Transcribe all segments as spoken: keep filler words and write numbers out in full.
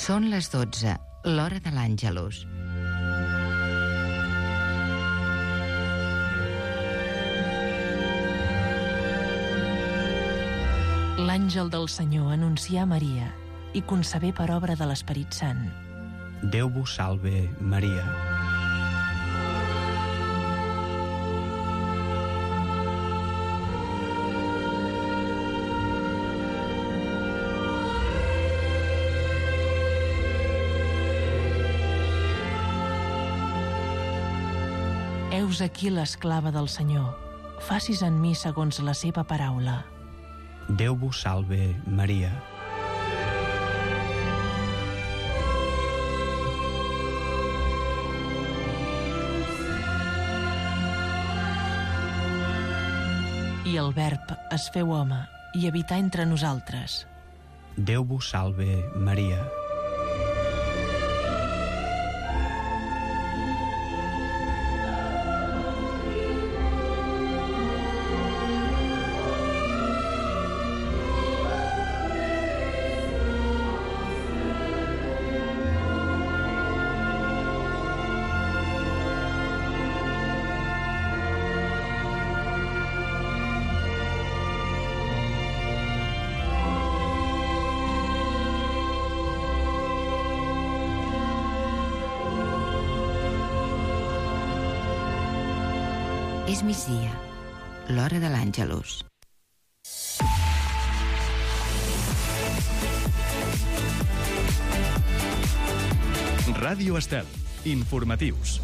Són les dotze, l'hora de l'Àngelus. L'àngel del Senyor anuncià a Maria i concebé per obra de l'Esperit Sant. Déu vos salve, Maria. Heus aquí l'esclava del Senyor. Facis en mi segons la seva paraula. Déu vos salve, Maria. I el Verb es feu home i habità entre nosaltres. Déu vos salve, Maria. És migdia, l'hora de l'Àngelus. Ràdio Estel, informatius.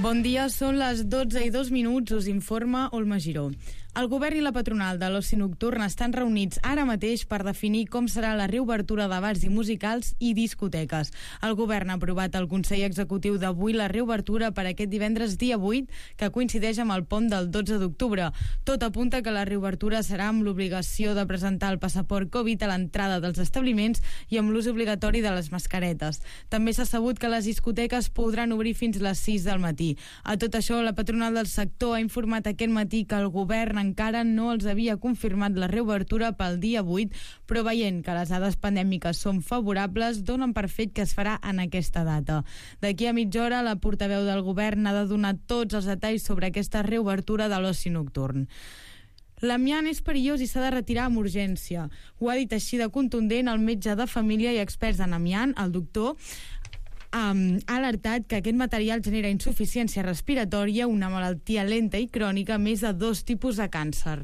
Bon dia, són les dotze i dos minuts, us informa Olma Giró. El govern i la patronal de l'oci nocturn estan reunits ara mateix per definir com serà la reobertura de bars i musicals i discoteques. El govern ha aprovat al Consell Executiu d'avui la reobertura per aquest divendres dia vuit, que coincideix amb el pont del dotze d'octubre. Tot apunta que la reobertura serà amb l'obligació de presentar el passaport Covid a l'entrada dels establiments i amb l'ús obligatori de les mascaretes. També s'ha sabut que les discoteques podran obrir fins les sis del matí. A tot això, la patronal del sector ha informat aquest matí que el govern encara no els havia confirmat la reobertura pel dia vuit, però veient que les dades pandèmiques són favorables, donen per fet que es farà en aquesta data. D'aquí a mitja hora, la portaveu del govern ha de donar tots els detalls sobre aquesta reobertura de l'oci nocturn. L'amiant és perillós i s'ha de retirar amb urgència. Ho ha dit així de contundent el metge de família i experts en amiant, el doctor, Um, ha alertat que aquest material genera insuficiència respiratòria, una malaltia lenta i crònica, més de dos tipus de càncer.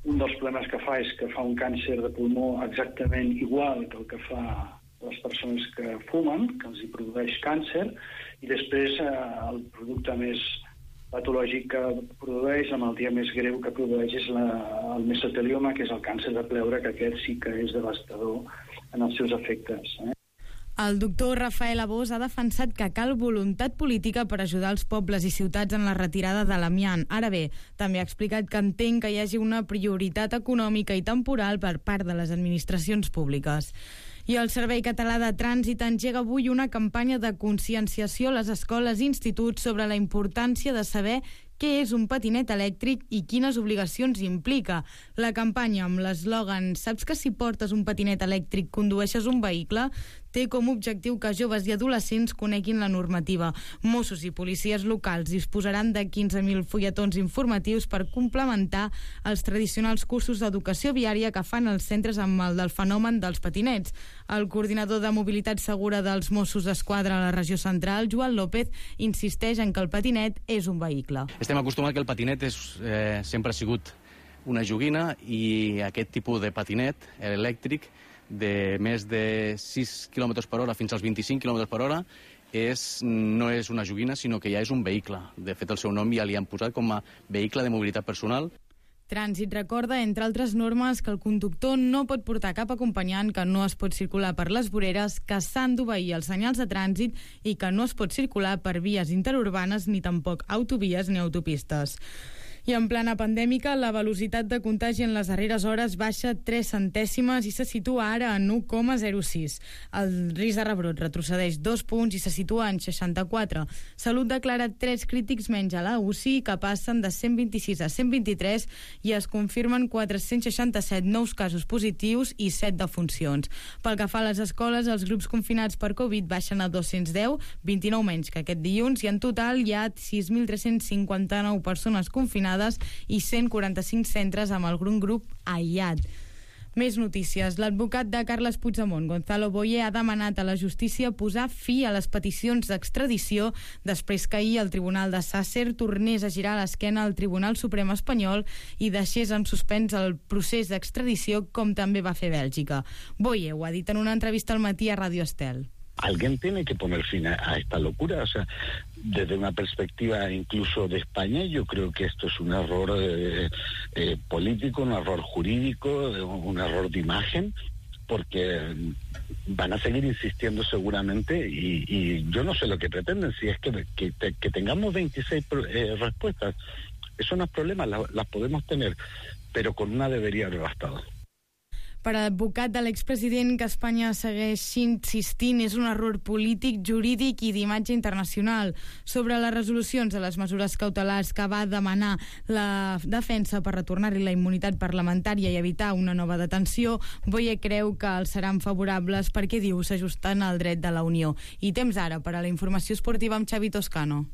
Un dels problemes que fa és que fa un càncer de pulmó exactament igual que el que fa les persones que fumen, que els hi produeix càncer, i després eh, el producte més patològic que produeix, la malaltia més greu que produeix és la, el mesotelioma, que és el càncer de pleure, que aquest sí que és devastador en els seus efectes, eh? El doctor Rafael Abós ha defensat que cal voluntat política per ajudar els pobles i ciutats en la retirada de l'amiant. Ara bé, també ha explicat que entén que hi hagi una prioritat econòmica i temporal per part de les administracions públiques. I el Servei Català de Trànsit engega avui una campanya de conscienciació a les escoles i instituts sobre la importància de saber què és un patinet elèctric i quines obligacions implica. La campanya amb l'eslògan "Saps que si portes un patinet elèctric condueixes un vehicle?" té com a objectiu que joves i adolescents coneguin la normativa. Mossos i policies locals disposaran de quinze mil fulletons informatius per complementar els tradicionals cursos d'educació viària que fan els centres amb el del fenomen dels patinets. El coordinador de mobilitat segura dels Mossos d'Esquadra a la regió central, Joan López, insisteix en que el patinet és un vehicle. Estem acostumats que el patinet és, eh, sempre ha sigut una joguina, i aquest tipus de patinet elèctric de més de sis quilòmetres per hora fins als vint-i-cinc quilòmetres per hora és, no és una joguina, sinó que ja és un vehicle. De fet, el seu nom ja li han posat com a vehicle de mobilitat personal. Trànsit recorda, entre altres normes, que el conductor no pot portar cap acompanyant, que no es pot circular per les voreres, que s'han d'obeir els senyals de trànsit i que no es pot circular per vies interurbanes ni tampoc autovies ni autopistes. I en plana pandèmica, la velocitat de contagi en les darreres hores baixa tres centèsimes i se situa ara en u coma zero sis. El risc de rebrot retrocedeix dos punts i se situa en seixanta-quatre. Salut declara tres crítics menys a la U C I, que passen de cent vint-i-sis a cent vint-i-tres, i es confirmen quatre-cents seixanta-set nous casos positius i set defuncions. Pel que fa a les escoles, els grups confinats per Covid baixen a dos-cents deu, vint-i-nou menys que aquest dilluns, i en total hi ha sis mil tres-cents cinquanta-nou persones confinades i cent quaranta-cinc centres amb algun grup aïllat. Més notícies. L'advocat de Carles Puigdemont, Gonzalo Boye, ha demanat a la justícia posar fi a les peticions d'extradició després que ahir el Tribunal de Sàcer tornés a girar l'esquena al Tribunal Suprem espanyol i deixés en suspens el procés d'extradició, com també va fer Bèlgica. Boye ho ha dit en una entrevista al matí a Radio Estel. Alguien tiene que poner fin a, a esta locura. O sea, desde una perspectiva incluso de España, yo creo que esto es un error eh, eh, político, un error jurídico, un error de imagen, porque van a seguir insistiendo seguramente y, y yo no sé lo que pretenden. Si es que, que, que tengamos veintiséis eh, respuestas, eso no es problema, las, las podemos tener, pero con una debería haber bastado. Per a l'advocat de l'expresident, que Espanya segueix insistint, és un error polític, jurídic i d'imatge internacional. Sobre les resolucions de les mesures cautelars que va demanar la defensa per retornar-li la immunitat parlamentària i evitar una nova detenció, Boye creu que els seran favorables perquè, diu, s'ajusten al dret de la Unió. I temps ara per a la informació esportiva amb Xavi Toscano.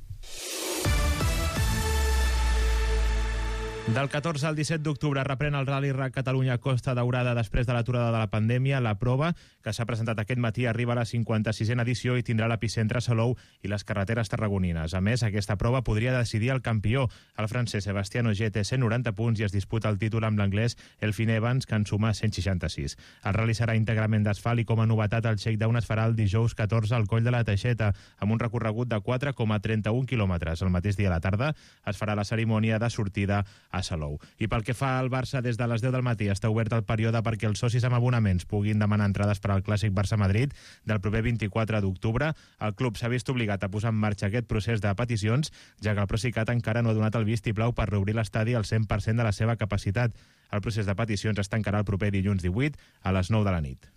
Del catorze al disset d'octubre reprèn el Rally Rac Catalunya Costa Daurada després de l'aturada de la pandèmia. La prova, que s'ha presentat aquest matí, arriba a la cinquanta-sisena edició i tindrà l'epicentre a Salou i les carreteres tarragonines. A més, aquesta prova podria decidir el campió. El francès Sebastián Ogier té cent noranta punts i es disputa el títol amb l'anglès Elfyn Evans, que en suma cent seixanta-sis. El rally serà íntegrament d'asfalt i, com a novetat, el shakedown es farà el dijous catorze al Coll de la Teixeta, amb un recorregut de quatre coma trenta-un quilòmetres. El mateix dia a la tarda es farà la cerimònia de sortida a Salou. I pel que fa al Barça, des de les deu del matí està obert el període perquè els socis amb abonaments puguin demanar entrades per al clàssic Barça-Madrid del proper vint-i-quatre d'octubre. El club s'ha vist obligat a posar en marxa aquest procés de peticions, ja que el Procicat encara no ha donat el vistiplau per reobrir l'estadi al cent per cent de la seva capacitat. El procés de peticions es tancarà el proper dilluns divuit a les nou de la nit.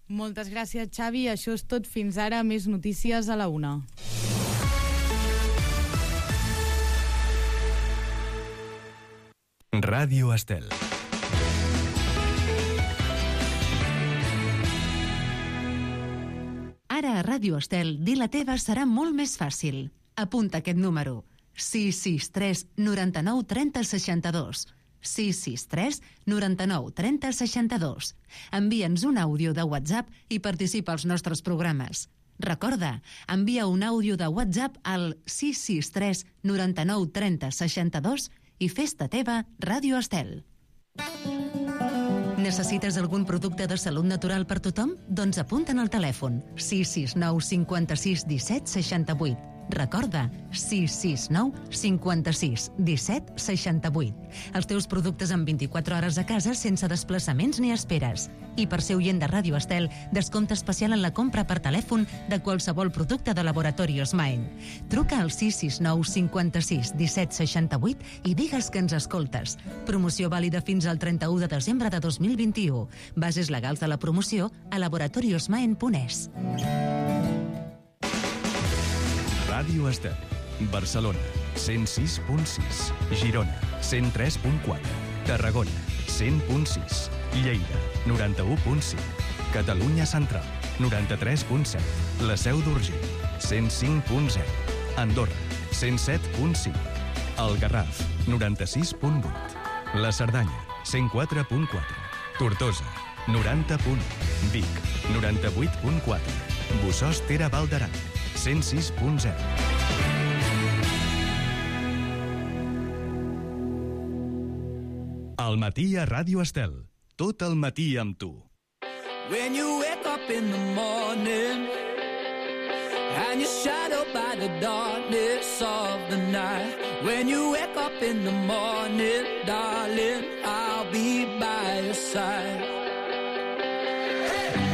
Moltes gràcies, Xavi. Això és tot fins ara. Més notícies a la una. Ràdio Estel. Ara a Ràdio Estel, dir la teva serà molt més fàcil. Apunta aquest número: sis sis tres noranta-nou trenta seixanta-dos. sis sis tres noranta-nou trenta seixanta-dos. Envia'ns un àudio de WhatsApp i participa als nostres programes. Recorda, envia un àudio de WhatsApp al sis sis tres noranta-nou trenta seixanta-dos i fes-te teva Ràdio Estel. Necessites algun producte de salut natural per tothom? Doncs apunta'n al telèfon sis sis nou cinquanta-sis disset seixanta-vuit. Recorda, sis sis nou cinquanta-sis disset seixanta-vuit. Els teus productes en vint-i-quatre hores a casa sense desplaçaments ni esperes. I per ser oient de Ràdio Estel, descompte especial en la compra per telèfon de qualsevol producte de Laboratorios Maen. Truca al sis sis nou cinquanta-sis disset seixanta-vuit i digues que ens escoltes. Promoció vàlida fins al trenta-u de desembre de dos mil vint-i-u. Bases legals de la promoció a laboratoriosmaen punt es. Ràdio Estel. Barcelona, cent sis punt sis. Girona, cent tres punt quatre. Tarragona, cent punt sis. Lleida, noranta-u punt cinc. Catalunya Central, noranta-tres punt set. La Seu d'Urgell, cent cinc punt zero. Andorra, cent set punt cinc. El Garraf, noranta-sis punt vuit. La Cerdanya, cent quatre punt quatre. Tortosa, noranta punt u. Vic, noranta-vuit punt quatre. Bossòst Tere Val d'Aran, cent sis punt zero. Al matí a Ràdio Estel. Tot el matí amb tu. When you wake up in the morning and you're shadowed by the darkness of the night. When you wake up in the morning, darling, I'll be by your side.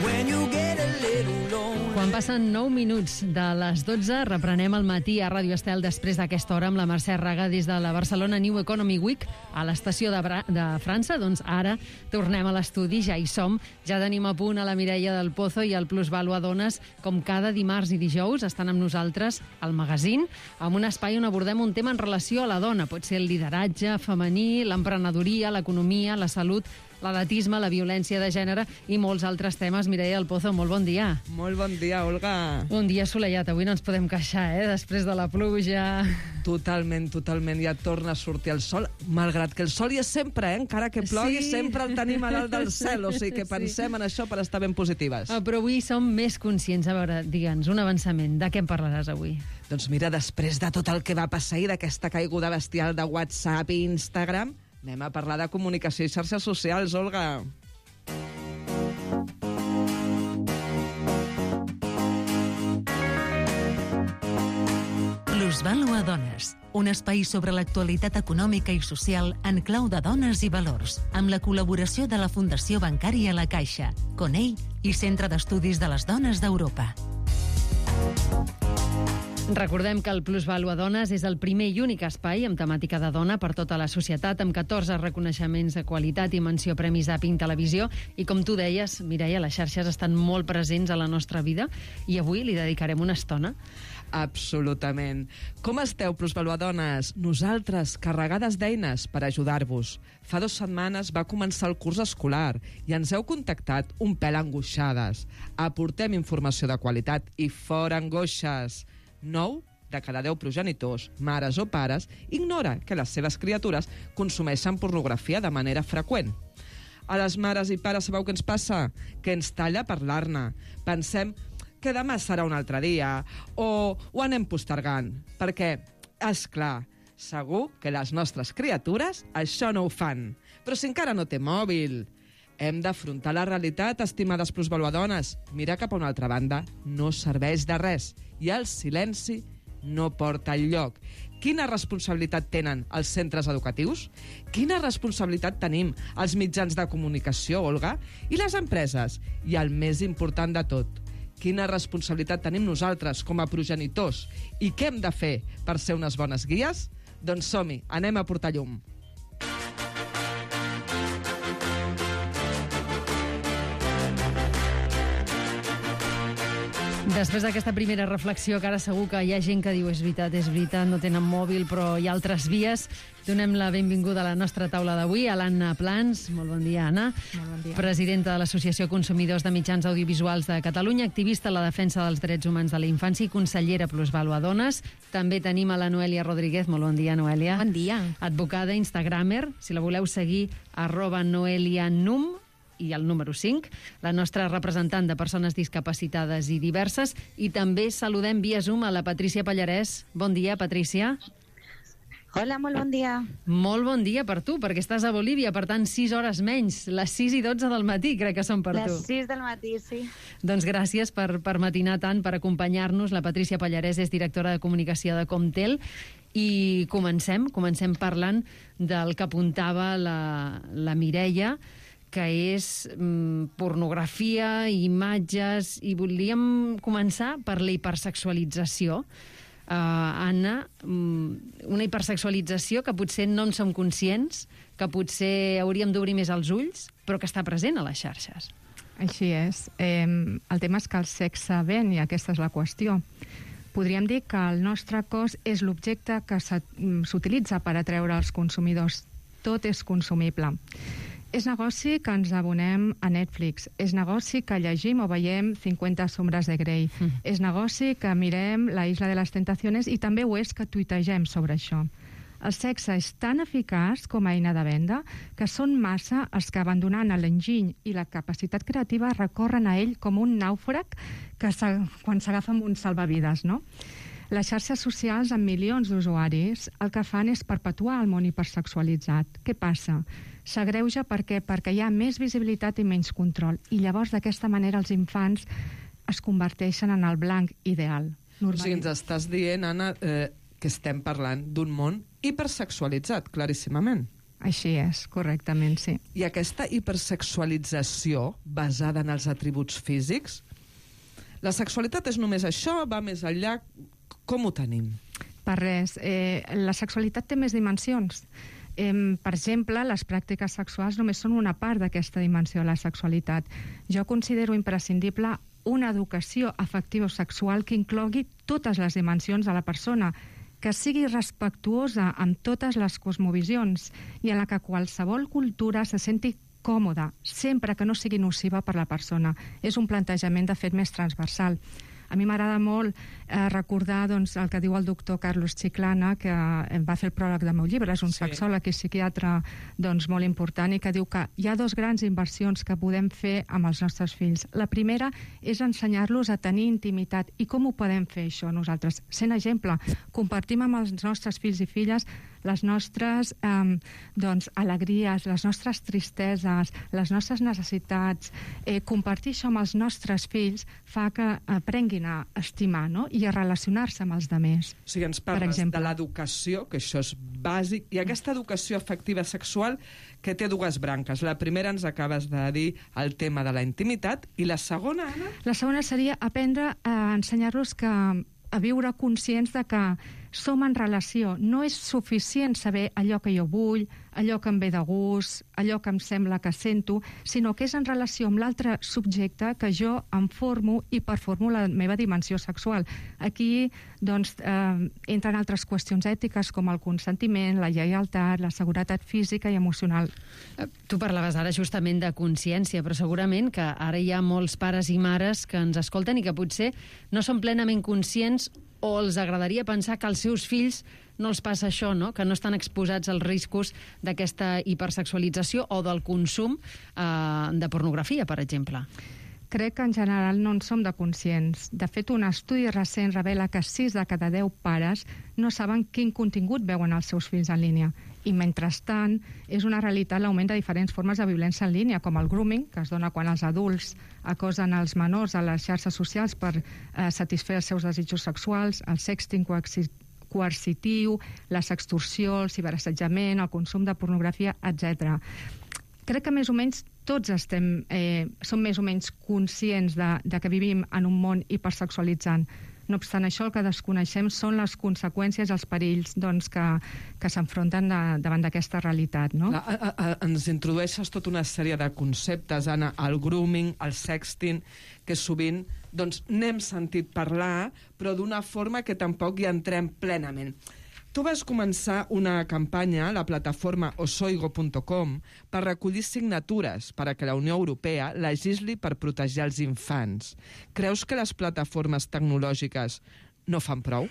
When you get a little little lonely. Quan passen nou minuts de les dotze, reprenem el matí a Ràdio Estel després d'aquesta hora amb la Mercè Raga des de la Barcelona New Economy Week a l'estació de, Bra de França. Doncs ara tornem a l'estudi, ja hi som. Ja tenim a punt a la Mireia del Pozo i el Plusvalua Dones, com cada dimarts i dijous estan amb nosaltres al magazín, amb un espai on abordem un tema en relació a la dona. Pot ser el lideratge femení, l'emprenedoria, l'economia, la salut, l'edatisme, la violència de gènere i molts altres temes. Mireia del Pozo, molt bon dia. Molt bon dia, Olga. Un dia assolellat, avui no ens podem queixar, eh? Després de la pluja. Totalment, totalment, ja torna a sortir el sol, malgrat que el sol hi és sempre, eh? Encara que plogui, sí. Sempre el tenim a dalt del cel, o sigui que pensem sí. en això per estar ben positives. Ah, però avui som més conscients. A veure, digue'ns, un avançament, de què en parlaràs avui? Doncs mira, després de tot el que va passar i d'aquesta caiguda bestial de WhatsApp i Instagram, anem a parlar de comunicació i xarxes socials, Olga. Plusvalua Dones, un espai sobre l'actualitat econòmica i social en clau de dones i valors, amb la col·laboració de la Fundació Bancària La Caixa, Conell i Centre d'Estudis de les Dones d'Europa. Recordem que el Plusvalua Dones és el primer i únic espai amb temàtica de dona per tota la societat, amb catorze reconeixements de qualitat i menció premis a Pink Televisió. I com tu deies, Mireia, les xarxes estan molt presents a la nostra vida i avui li dedicarem una estona. Absolutament. Com esteu, Plusvalua Dones? Nosaltres, carregades d'eines per ajudar-vos. Fa dues setmanes va començar el curs escolar i ens heu contactat un pèl angoixades. Aportem informació de qualitat i fora angoixes. nou de cada deu progenitors, mares o pares, ignora que les seves criatures consumeixen pornografia de manera freqüent. A les mares i pares sabeu què ens passa? Que ens talla parlar-ne. Pensem que demà serà un altre dia o ho anem postergant. Perquè, és clar, segur que les nostres criatures això no ho fan. Però si encara no té mòbil... Hem d'afrontar la realitat, estimades plusvaluadones. Mirar cap a una altra banda no serveix de res i el silenci no porta enlloc. Quina responsabilitat tenen els centres educatius? Quina responsabilitat tenim els mitjans de comunicació, Olga? I les empreses? I el més important de tot, quina responsabilitat tenim nosaltres com a progenitors? I què hem de fer per ser unes bones guies? Doncs som-hi, anem a portar llum. Després d'aquesta primera reflexió, que ara segur que hi ha gent que diu és veritat, és veritat, no tenen mòbil, però hi ha altres vies, donem la benvinguda a la nostra taula d'avui, a l'Anna Plans. Molt bon dia, Anna. Molt bon dia. Presidenta de l'Associació Consumidors de Mitjans Audiovisuals de Catalunya, activista en la defensa dels drets humans de la infància i consellera Plusvalua Dones. També tenim a la Noelia Rodríguez. Molt bon dia, Noelia. Bon dia. Advocada, instagramer, si la voleu seguir, arroba noelianum, i el número cinc, la nostra representant de persones discapacitades i diverses, i també saludem via Zoom a la Patrícia Pallarès. Bon dia, Patrícia. Hola, molt bon dia. Molt bon dia per tu, perquè estàs a Bolívia, per tant, sis hores menys, les sis i dotze del matí, crec que són per les tu. Les sis del matí, sí. Doncs gràcies per, per matinar tant, per acompanyar-nos. La Patrícia Pallarès és directora de comunicació de Comtel, i comencem, comencem parlant del que apuntava la, la Mireia, que és mm, pornografia, imatges, i volíem començar per la hipersexualització. Uh, Anna, mm, una hipersexualització que potser no en som conscients, que potser hauríem d'obrir més els ulls, però que està present a les xarxes. Així és. Eh, el tema és que el sexe ven, i aquesta és la qüestió. Podríem dir que el nostre cos és l'objecte que s'utilitza per atreure els consumidors. Tot és consumible. És negoci que ens abonem a Netflix. És negoci que llegim o veiem cinquanta sombres de Grey. Mm. És negoci que mirem La Isla de les Tentaciones, i també ho és que tuitegem sobre això. El sexe és tan eficaç com a eina de venda que són massa els que, abandonant l'enginy i la capacitat creativa, recorren a ell com un nàufrag que quan s'agafa amb un salvavides, no? Les xarxes socials, amb milions d'usuaris, el que fan és perpetuar el món hipersexualitzat. Què passa? S'agreuja perquè, perquè hi ha més visibilitat i menys control. I llavors, d'aquesta manera, els infants es converteixen en el blanc ideal. O sigui, ens estàs dient, Anna, eh, que estem parlant d'un món hipersexualitzat, claríssimament. Així és, correctament, sí. I aquesta hipersexualització, basada en els atributs físics, La sexualitat és només això, va més enllà? Com ho tenim? Per res. Eh, la sexualitat té més dimensions. Eh, per exemple, les pràctiques sexuals només són una part d'aquesta dimensió de la sexualitat. Jo considero imprescindible una educació afectiva o sexual que inclogui totes les dimensions de la persona, que sigui respectuosa amb totes les cosmovisions i en la que qualsevol cultura se senti còmoda, sempre que no sigui nociva per la persona. És un plantejament, de fet, més transversal. A mi m'agrada molt eh, recordar doncs, el que diu el doctor Carlos Chiclana, que eh, va fer el pròleg del meu llibre, és un sí. sexòleg i psiquiatre doncs, molt important, i que diu que hi ha dos grans inversions que podem fer amb els nostres fills. La primera és ensenyar-los a tenir intimitat. I com ho podem fer, això, nosaltres? Sent exemple, compartim amb els nostres fills i filles les nostres eh, doncs, alegries, les nostres tristeses, les nostres necessitats. Eh, compartir això amb els nostres fills fa que aprenguin a estimar, no? I a relacionar-se amb els altres. O sigui, ens parles de l'educació, que això és bàsic, i aquesta educació afectiva sexual que té dues branques. La primera ens acabes de dir el tema de la intimitat, i la segona, Anna? La segona seria aprendre a ensenyar-los que a viure conscients de que som en relació. No és suficient saber allò que jo vull, allò que em ve de gust, allò que em sembla que sento, sinó que és en relació amb l'altre subjecte que jo em formo i performo la meva dimensió sexual. Aquí doncs, eh, entren altres qüestions ètiques com el consentiment, la lleialtat, la seguretat física i emocional. Tu parlaves ara justament de consciència, però segurament que ara hi ha molts pares i mares que ens escolten i que potser no són plenament conscients o els agradaria pensar que als seus fills no els passa això, no? Que no estan exposats als riscos d'aquesta hipersexualització o del consum eh, de pornografia, per exemple. Crec que en general no en som de conscients. De fet, un estudi recent revela que sis de cada deu pares no saben quin contingut veuen els seus fills en línia. I, mentrestant, és una realitat l'augment de diferents formes de violència en línia, com el grooming, que es dona quan els adults acosen els menors a les xarxes socials per eh, satisfer els seus desitjos sexuals, el sexting coercitiu, la sextorsió, el ciberassetjament, el consum de pornografia, etcètera. Crec que més o menys tots estem, eh, som més o menys conscients de, de que vivim en un món hipersexualitzant. No obstant això, el que desconeixem són les conseqüències, els perills doncs, que, que s'enfronten de, davant d'aquesta realitat. No? La, a, a, ens introdueixes tota una sèrie de conceptes, Anna, el grooming, el sexting, que sovint doncs, n'hem sentit parlar, però d'una forma que tampoc hi entrem plenament. Tu vas començar una campanya a la plataforma osoigo punt com per recollir signatures per a que la Unió Europea legisli per protegir els infants. Creus que les plataformes tecnològiques no fan prou?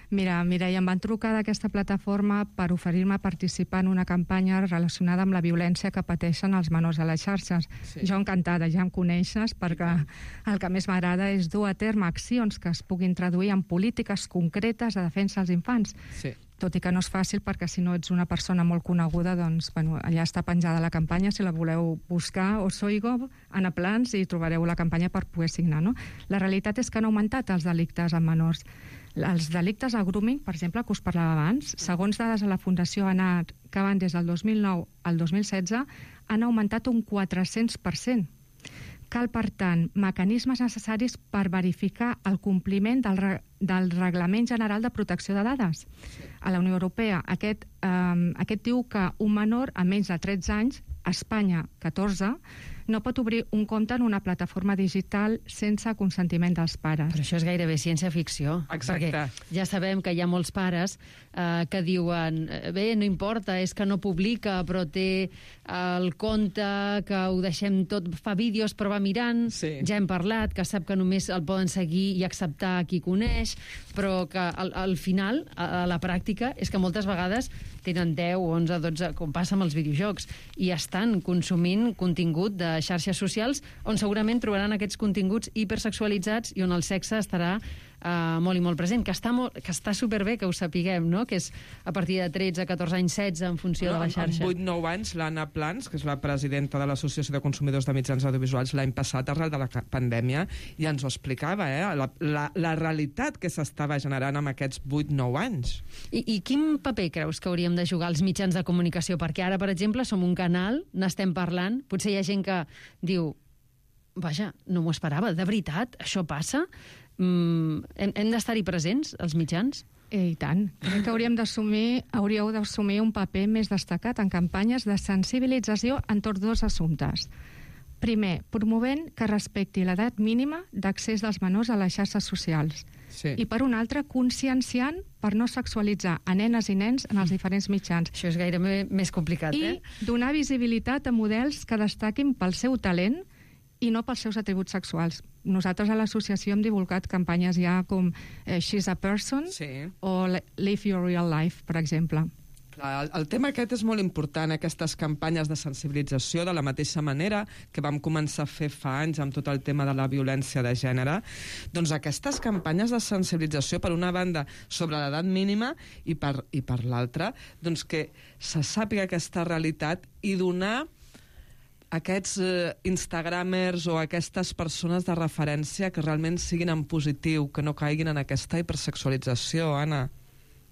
Mira, Mireia, em van trucar d'aquesta plataforma per oferir-me a participar en una campanya relacionada amb la violència que pateixen els menors a les xarxes. Sí. Jo encantada, ja em coneixes, perquè el que més m'agrada és dur a terme accions que es puguin traduir en polítiques concretes de defensa dels infants. Sí. Tot i que no és fàcil, perquè si no ets una persona molt coneguda, doncs, bueno, allà està penjada la campanya, si la voleu buscar, Osoigo, Anna Plans, i trobareu la campanya per poder signar, no? La realitat és que han augmentat els delictes amb menors. Els delictes al grooming, per exemple, que us parlava abans, segons dades de la Fundació ANAR, que van des del dos mil nou al dos mil setze, han augmentat un quatre-cents per cent. Cal, per tant, mecanismes necessaris per verificar el compliment del, re del Reglament General de Protecció de Dades. A la Unió Europea, aquest, eh, aquest diu que un menor a menys de tretze anys, a Espanya catorze, no pot obrir un compte en una plataforma digital sense consentiment dels pares. Però això és gairebé ciència-ficció. Exacte. Perquè ja sabem que hi ha molts pares eh, que diuen bé, no importa, és que no publica, però té el compte que ho deixem tot, fa vídeos però va mirant, sí. Ja hem parlat, que sap que només el poden seguir i acceptar qui coneix, però que al, al final, a, a la pràctica, és que moltes vegades tenen deu, onze, dotze, com passa amb els videojocs, i estan consumint contingut de xarxes socials on segurament trobaran aquests continguts hipersexualitzats i on el sexe estarà uh, molt i molt present, que està, molt, que està superbé que ho sapiguem, no? Que és a partir de tretze, catorze anys, setze, en funció no, de la xarxa. En vuit nou anys, l'Anna Plans, que és la presidenta de l'Associació de Consumidors de Mitjans Audiovisuals, l'any passat, arrel de la pandèmia, i ens ho explicava, eh? la, la, la realitat que s'estava generant amb aquests vuit nou anys. I, I quin paper creus que hauríem de jugar els mitjans de comunicació? Perquè ara, per exemple, som un canal, n'estem parlant, potser hi ha gent que diu vaja, no m'ho esperava. De veritat, això passa? Mm, hem hem d'estar-hi presents, els mitjans? Eh, I tant. Crec que hauríem d'assumir, hauríeu d'assumir un paper més destacat en campanyes de sensibilització entorn dos assumptes. Primer, promovent que respecti l'edat mínima d'accés dels menors a les xarxes socials. Sí. I per un altre, conscienciant per no sexualitzar a nenes i nens en els diferents mitjans. Això és gairebé més complicat, I eh? I donar visibilitat a models que destaquin pel seu talent i no pels seus atributs sexuals. Nosaltres a l'associació hem divulgat campanyes ja com eh, She's a Person sí. o Live Your Real Life, per exemple. Clar, el, el tema aquest és molt important, aquestes campanyes de sensibilització, de la mateixa manera que vam començar a fer fa anys amb tot el tema de la violència de gènere. Doncs aquestes campanyes de sensibilització, per una banda, sobre l'edat mínima i per, i per l'altra, doncs que se sàpiga aquesta realitat i donar aquests eh, instagramers o aquestes persones de referència que realment siguin en positiu, que no caiguin en aquesta hipersexualització, Anna.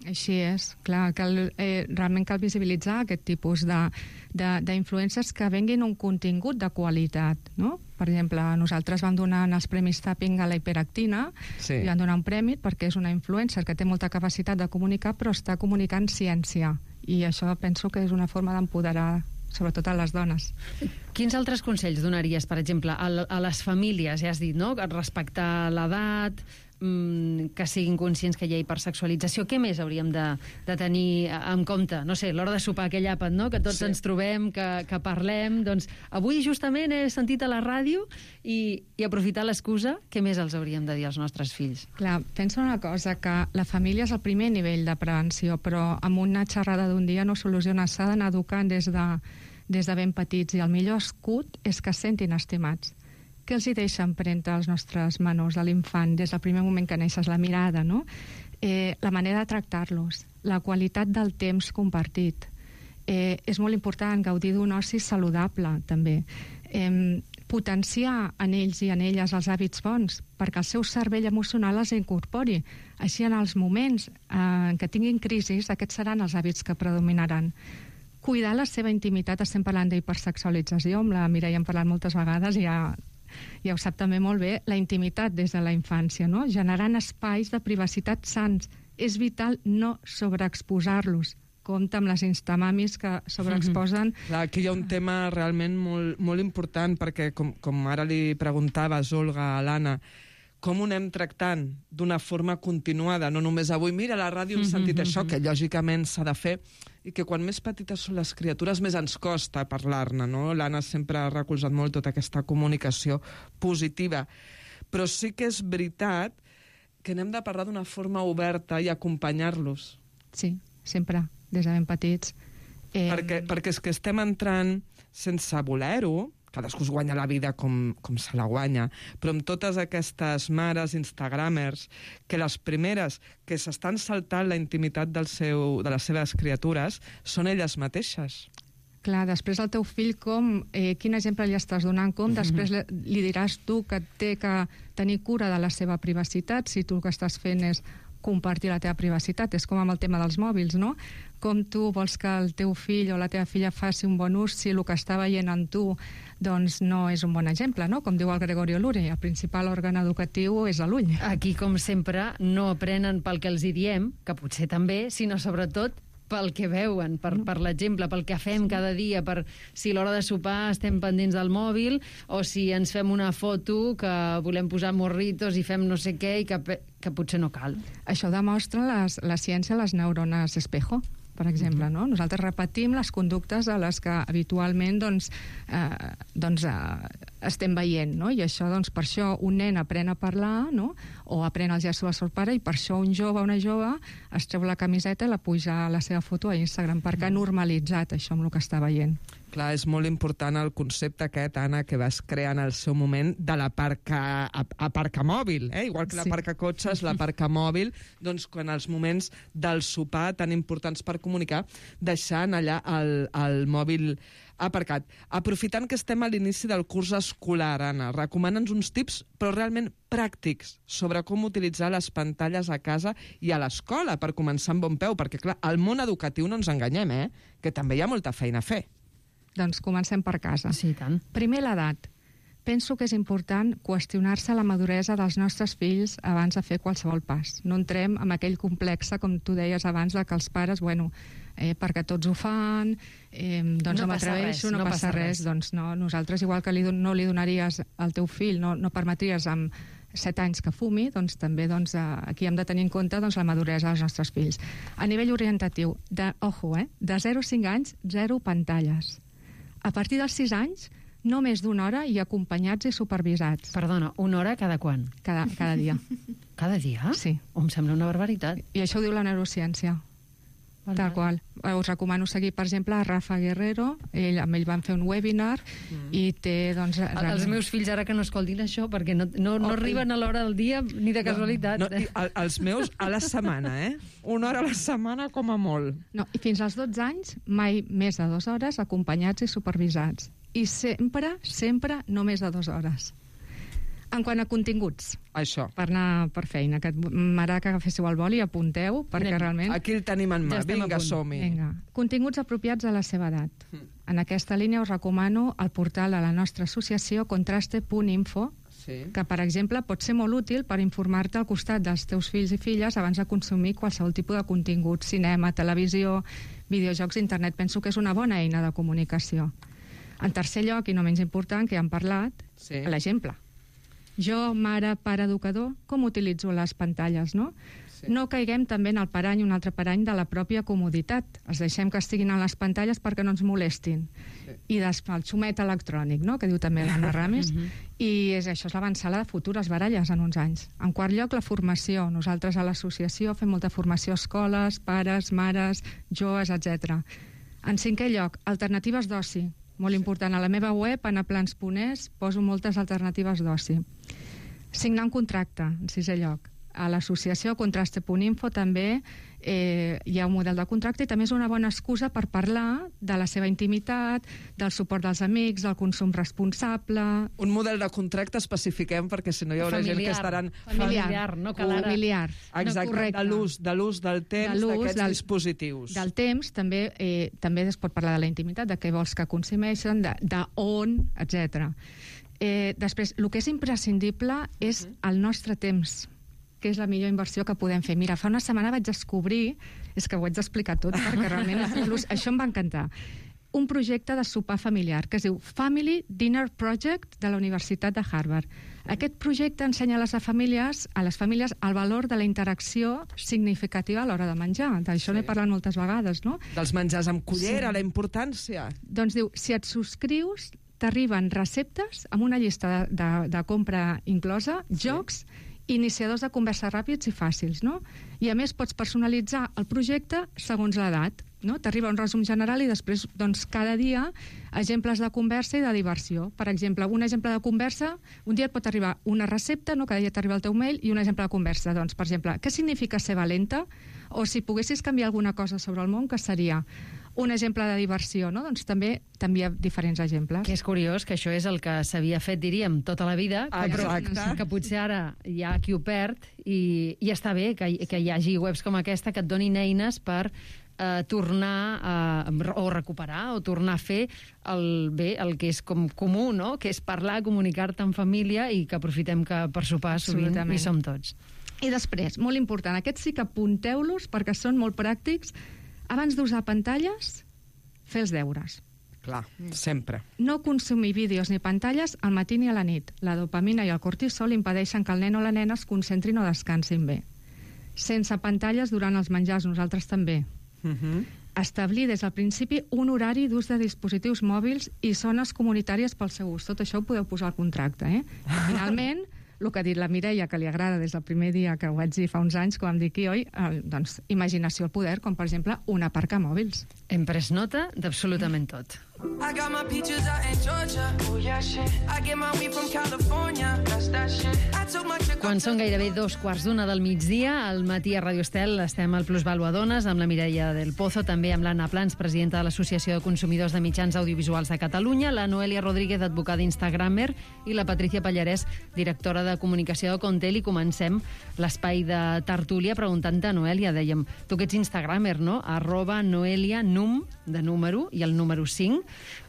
Així és, clar, cal, eh, realment cal visibilitzar aquest tipus d'influències que venguin un contingut de qualitat, no? Per exemple, nosaltres vam donar en els Premis Tapping a la hiperactina, sí. i vam donar un premi perquè és una influencer que té molta capacitat de comunicar, però està comunicant ciència, i això penso que és una forma d'empoderar sobretot a les dones. Quins altres consells donaries, per exemple, a, a les famílies, ja has dit, no?, respectar l'edat, mmm, que siguin conscients que hi ha hipersexualització. Què més hauríem de, de tenir en compte? No sé, l'hora de sopar aquell àpat, no?, que tots sí. ens trobem, que, que parlem. Doncs avui justament he sentit a la ràdio i, i aprofitar l'excusa, què més els hauríem de dir als nostres fills? Clar, penso una cosa, que la família és el primer nivell de prevenció, però amb una xerrada d'un dia no soluciona, s'ha d'anar educant des de, des de ben petits, i el millor escut és que es sentin estimats. Què els hi deixa empremta als nostres menors, a l'infant, des del primer moment que neixes, la mirada, no? Eh, la manera de tractar-los, la qualitat del temps compartit. Eh, és molt important gaudir d'un oci saludable, també. Eh, potenciar en ells i en elles els hàbits bons, perquè el seu cervell emocional els incorpori. Així, en els moments eh, en què tinguin crisis, aquests seran els hàbits que predominaran. Cuidar la seva intimitat, estem parlant d'hipersexualització, amb la Mireia hem parlat moltes vegades, i ja ja ho sap també molt bé, la intimitat des de la infància, no? Generant espais de privacitat sants. És vital no sobreexposar-los. Compte amb les instamamis que sobreexposen. Mm-hmm. Clar, aquí hi ha un tema realment molt, molt important, perquè com, com ara li preguntaves, Olga, a l'Anna, com ho anem tractant d'una forma continuada, no només avui, mira, a la ràdio hem sentit mm-hmm. això, que lògicament s'ha de fer, i que quan més petites són les criatures més ens costa parlar-ne, no? L'Anna sempre ha recolzat molt tota aquesta comunicació positiva. Però sí que és veritat que n'hem de parlar d'una forma oberta i acompanyar-los. Sí, sempre, des de ben petits. Eh... Perquè, perquè és que estem entrant sense voler-ho, cadascú es guanya la vida com, com se la guanya, però amb totes aquestes mares instagramers, que les primeres que s'estan saltant la intimitat del seu, de les seves criatures són elles mateixes. Clar, després el teu fill, com, eh, quin exemple li estàs donant, com després li, li diràs tu que té que tenir cura de la seva privacitat, si tu el que estàs fent és compartir la teva privacitat. És com amb el tema dels mòbils, no? Com tu vols que el teu fill o la teva filla faci un bon ús si el que està veient en tu doncs no és un bon exemple, no? Com diu el Gregorio Lure, el principal òrgan educatiu és l'ull. Aquí, com sempre, no aprenen pel que els hi diem, que potser també, sinó sobretot pel que veuen, per, per l'exemple, pel que fem sí. cada dia, per si a l'hora de sopar estem pendents del mòbil, o si ens fem una foto que volem posar morritos i fem no sé què, i que, que potser no cal. Això demostra les, la ciència les neurones espejo, per exemple, uh-huh. no? Nosaltres repetim les conductes a les que habitualment doncs, eh, doncs, eh, estem veient, no? I això, doncs, per això un nen aprèn a parlar, no? O aprèn els gestos del seu pare, i per això un jove o una jove es treu la camiseta i la puja a la seva foto a Instagram, perquè ha normalitzat això amb el que està veient. Clar, és molt important el concepte aquest, Anna, que vas crear en el seu moment de la parca, aparca mòbil, eh? Igual que la sí. parca cotxes, la parca mòbil, doncs quan els moments del sopar tan importants per comunicar, deixant allà el, el mòbil aparcat. Aprofitant que estem a l'inici del curs escolar, Anna, recomana'ns uns tips, però realment pràctics, sobre com utilitzar les pantalles a casa i a l'escola per començar amb bon peu, perquè, clar, al món educatiu no ens enganyem, eh? Que també hi ha molta feina a fer. Doncs comencem per casa. Sí, tant. Primer, l'edat. penso que és important qüestionar-se la maduresa dels nostres fills abans de fer qualsevol pas. No entrem en aquell complex, com tu deies abans, de que els pares, bueno, eh, perquè tots ho fan, eh, doncs no, no m'atreveixo, no, no passa res. res. Doncs no, nosaltres, igual que li, no li donaries al teu fill, no, no permetries amb set anys que fumi, doncs també doncs, aquí hem de tenir en compte doncs, la maduresa dels nostres fills. A nivell orientatiu, de, ojo, eh, de zero a cinc anys, zero pantalles. A partir dels sis anys, no més d'una hora i acompanyats i supervisats. Perdona, una hora cada quan? Cada, cada dia. Cada dia? Sí. Em sembla una barbaritat. I això ho diu la neurociència. Val, Tal val. qual. Us recomano seguir, per exemple, a Rafa Guerrero. Ell, amb ell van fer un webinar mm. i té, doncs... El, els meus fills ara que no escoltin això, perquè no, no, no oh, arriben a l'hora del dia ni de casualitat. No, no, i el, els meus a la setmana, eh? Una hora a la setmana com a molt. No, i fins als dotze anys, mai més de dues hores, acompanyats i supervisats. I sempre, sempre, no més de dues hores. En quant a continguts, això. Per anar per feina, que m'agrada que agaféssiu el boli i apunteu, perquè Anem. realment... Aquí el tenim en mà, ja vinga, som-hi. Vinga. Continguts apropiats a la seva edat. Mm. En aquesta línia us recomano el portal de la nostra associació contraste punt info, sí. que, per exemple, pot ser molt útil per informar-te al costat dels teus fills i filles abans de consumir qualsevol tipus de contingut, cinema, televisió, videojocs, internet. Penso que és una bona eina de comunicació. En tercer lloc, i no menys important, que ja hem parlat, sí. l'exemple. Jo, mare, pare, educador, com utilitzo les pantalles, no? Sí. No caiguem també en el parany, un altre parany de la pròpia comoditat. Els deixem que estiguin a les pantalles perquè no ens molestin. Sí. I després el xumet electrònic, no?, que diu també l'Anna Ramis, uh -huh. i és, això és l'avançada de futures baralles en uns anys. En quart lloc, la formació. Nosaltres a l'associació fem molta formació a escoles, pares, mares, joves, etcètera. En cinquè lloc, alternatives d'oci. Molt important. A la meva web, anaplans punt es, poso moltes alternatives d'oci. Signar un contracte, en sisè lloc. A l'associació contraste punt info també eh, hi ha un model de contracte i també és una bona excusa per parlar de la seva intimitat, del suport dels amics, del consum responsable... Un model de contracte especifiquem, perquè si no hi haurà familiar, gent que estaran... Familiar, familiar no cal ara... Familiar. Exacte, no, de l'ús de l'ús del temps d'aquests del, dispositius. Del temps, també eh, també es pot parlar de la intimitat, de què vols que consumeixen, de, de on, etcètera. Eh, després, el que és imprescindible és uh -huh. el nostre temps, que és la millor inversió que podem fer. Mira, fa una setmana vaig descobrir, és que ho haig d'explicar tot, perquè realment això em va encantar, un projecte de sopar familiar que es diu Family Dinner Project de la Universitat de Harvard. Aquest projecte ensenya a les famílies, a les famílies el valor de la interacció significativa a l'hora de menjar. D'això sí. n'he parlat moltes vegades, no? Dels menjars amb cullera, sí. la importància. Doncs diu, si et subscrius, t'arriben receptes amb una llista de, de, de compra inclosa, sí. jocs, iniciadors de conversa ràpids i fàcils, no? I a més pots personalitzar el projecte segons l'edat, no? T'arriba un resum general i després, doncs, cada dia exemples de conversa i de diversió. Per exemple, un exemple de conversa, un dia et pot arribar una recepta, no? Cada dia t'arriba el teu mail i un exemple de conversa. Doncs, per exemple, què significa ser valenta? O si poguessis canviar alguna cosa sobre el món, què seria? Un exemple de diversió, no? Doncs també t'envia diferents exemples. Que és curiós, que això és el que s'havia fet, diríem, tota la vida, que, però, que potser ara hi ha qui ho perd i, i està bé que, que hi hagi webs com aquesta que et donin eines per eh, tornar a, o recuperar o tornar a fer el bé, el que és com comú, no? Que és parlar, comunicar-te en família i que aprofitem que per sopar sovint hi som tots. I després, molt important, aquests sí que apunteu-los perquè són molt pràctics. Abans d'usar pantalles, fer els deures. Clar, sempre. No consumir vídeos ni pantalles al matí ni a la nit. La dopamina i el cortisol impedeixen que el nen o la nena es concentrin o descansin bé. Sense pantalles durant els menjars, nosaltres també. Uh -huh. Establir des del principi un horari d'ús de dispositius mòbils i zones comunitàries pel seu ús. Tot això ho podeu posar al contracte, eh? Finalment, el que ha dit la Mireia, que li agrada des del primer dia que ho vaig dir fa uns anys, quan vam dir aquí, oi? Eh, doncs, imaginació al poder, com per exemple un aparcamòbils. Hem pres nota d'absolutament tot. I got my peaches out in Georgia. Oh yeah, shit. I get my weed from California. That's that shit. I took my chick. Quan són gairebé dos quarts d'una del migdia, al matí a Ràdio Estel estem al Plusvalua Dones amb la Mireia del Pozo, també amb l'Anna Plans, presidenta de l'Associació de Consumidors de Mitjans Audiovisuals de Catalunya, la Noelia Rodríguez, advocada instagramer, i la Patricia Pallarès, directora de comunicació de Contel. I comencem l'espai de tertúlia preguntant-te, Noelia, dèiem, tu que ets instagramer, no? Arroba Noelia Num, de número, i el número cinc.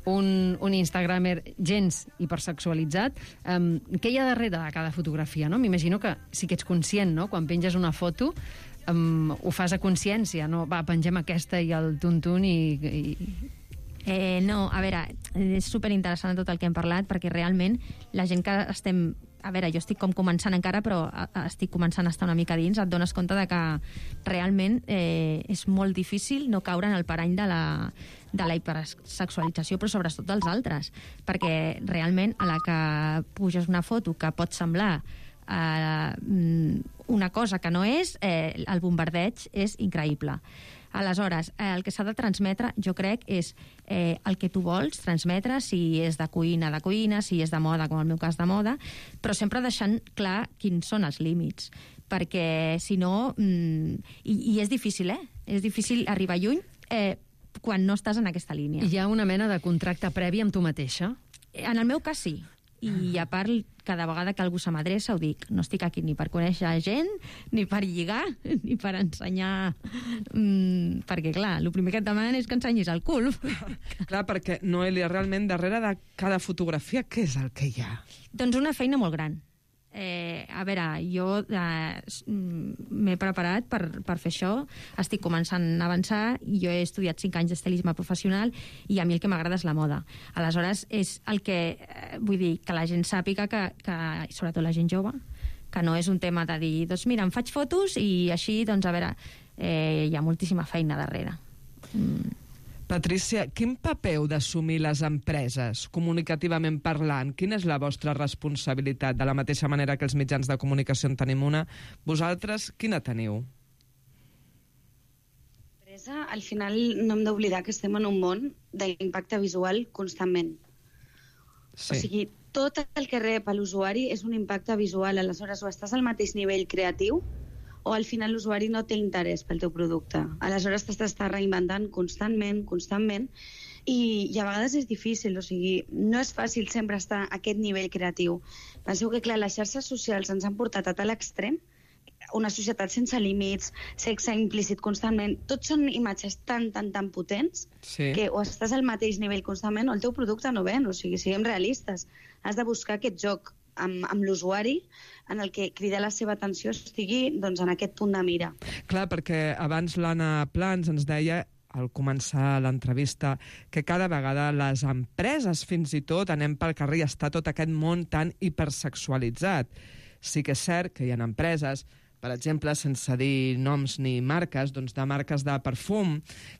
un, un instagramer gens hipersexualitzat, um, què hi ha darrere de cada fotografia, no? M'imagino que sí que ets conscient, no? Quan penges una foto, um, ho fas a consciència, no? Va, pengem aquesta i el tuntun i... i... Eh, no, a veure, és superinteressant tot el que hem parlat, perquè realment la gent que estem... A veure, jo estic com començant encara, però estic començant a estar una mica dins, et dones compte de que realment eh, és molt difícil no caure en el parany de la, de la hipersexualització, però sobretot dels altres, perquè realment a la que puges una foto que pot semblar eh, una cosa que no és, eh, el bombardeig és increïble. Aleshores, eh, el que s'ha de transmetre, jo crec, és eh, el que tu vols transmetre, si és de cuina, de cuina, si és de moda, com el meu cas de moda, però sempre deixant clar quins són els límits, perquè si no... Mm, i, I és difícil, eh? És difícil arribar lluny eh, quan no estàs en aquesta línia. Hi ha una mena de contracte previ amb tu mateixa? En el meu cas, sí. I a part, cada vegada que algú se m'adreça ho dic, no estic aquí ni per conèixer gent, ni per lligar, ni per ensenyar... Mm, perquè, clar, el primer que et demanen és que ensenyis el cul. Clar, perquè, Noelia, realment, darrere de cada fotografia, què és el que hi ha? Doncs una feina molt gran. Eh, a veure, jo eh, m'he preparat per, per fer això, estic començant a avançar, jo he estudiat cinc anys d'estilisme professional i a mi el que m'agrada és la moda. Aleshores, és el que, eh, vull dir, que la gent sàpiga que, que, sobretot la gent jove, que no és un tema de dir, doncs mira, em faig fotos i així, doncs a veure, eh, hi ha moltíssima feina darrere. Mm. Patrícia, quin paper heu d'assumir les empreses, comunicativament parlant? Quina és la vostra responsabilitat? De la mateixa manera que els mitjans de comunicació en tenim una, vosaltres quina teniu? Al final no hem d'oblidar que estem en un món d'impacte visual constantment. Sí. O sigui, tot el que rep l'usuari és un impacte visual. Aleshores, o estàs al mateix nivell creatiu o al final l'usuari no té interès pel teu producte. Aleshores t'has d'estar reinventant constantment, constantment, i, i a vegades és difícil, o sigui, no és fàcil sempre estar a aquest nivell creatiu. Penseu que, clar, les xarxes socials ens han portat a tal extrem, una societat sense límits, sexe implícit constantment, tots són imatges tan, tan, tan potents sí. que o estàs al mateix nivell constantment o el teu producte no ven, o sigui, siguem realistes. Has de buscar aquest joc amb, amb l'usuari en el que cridar la seva atenció estigui doncs, en aquest punt de mira. Clar, perquè abans l'Anna Plans ens deia al començar l'entrevista que cada vegada les empreses fins i tot anem pel carrer i està tot aquest món tan hipersexualitzat. Sí que és cert que hi ha empreses, per exemple, sense dir noms ni marques, doncs de marques de perfum,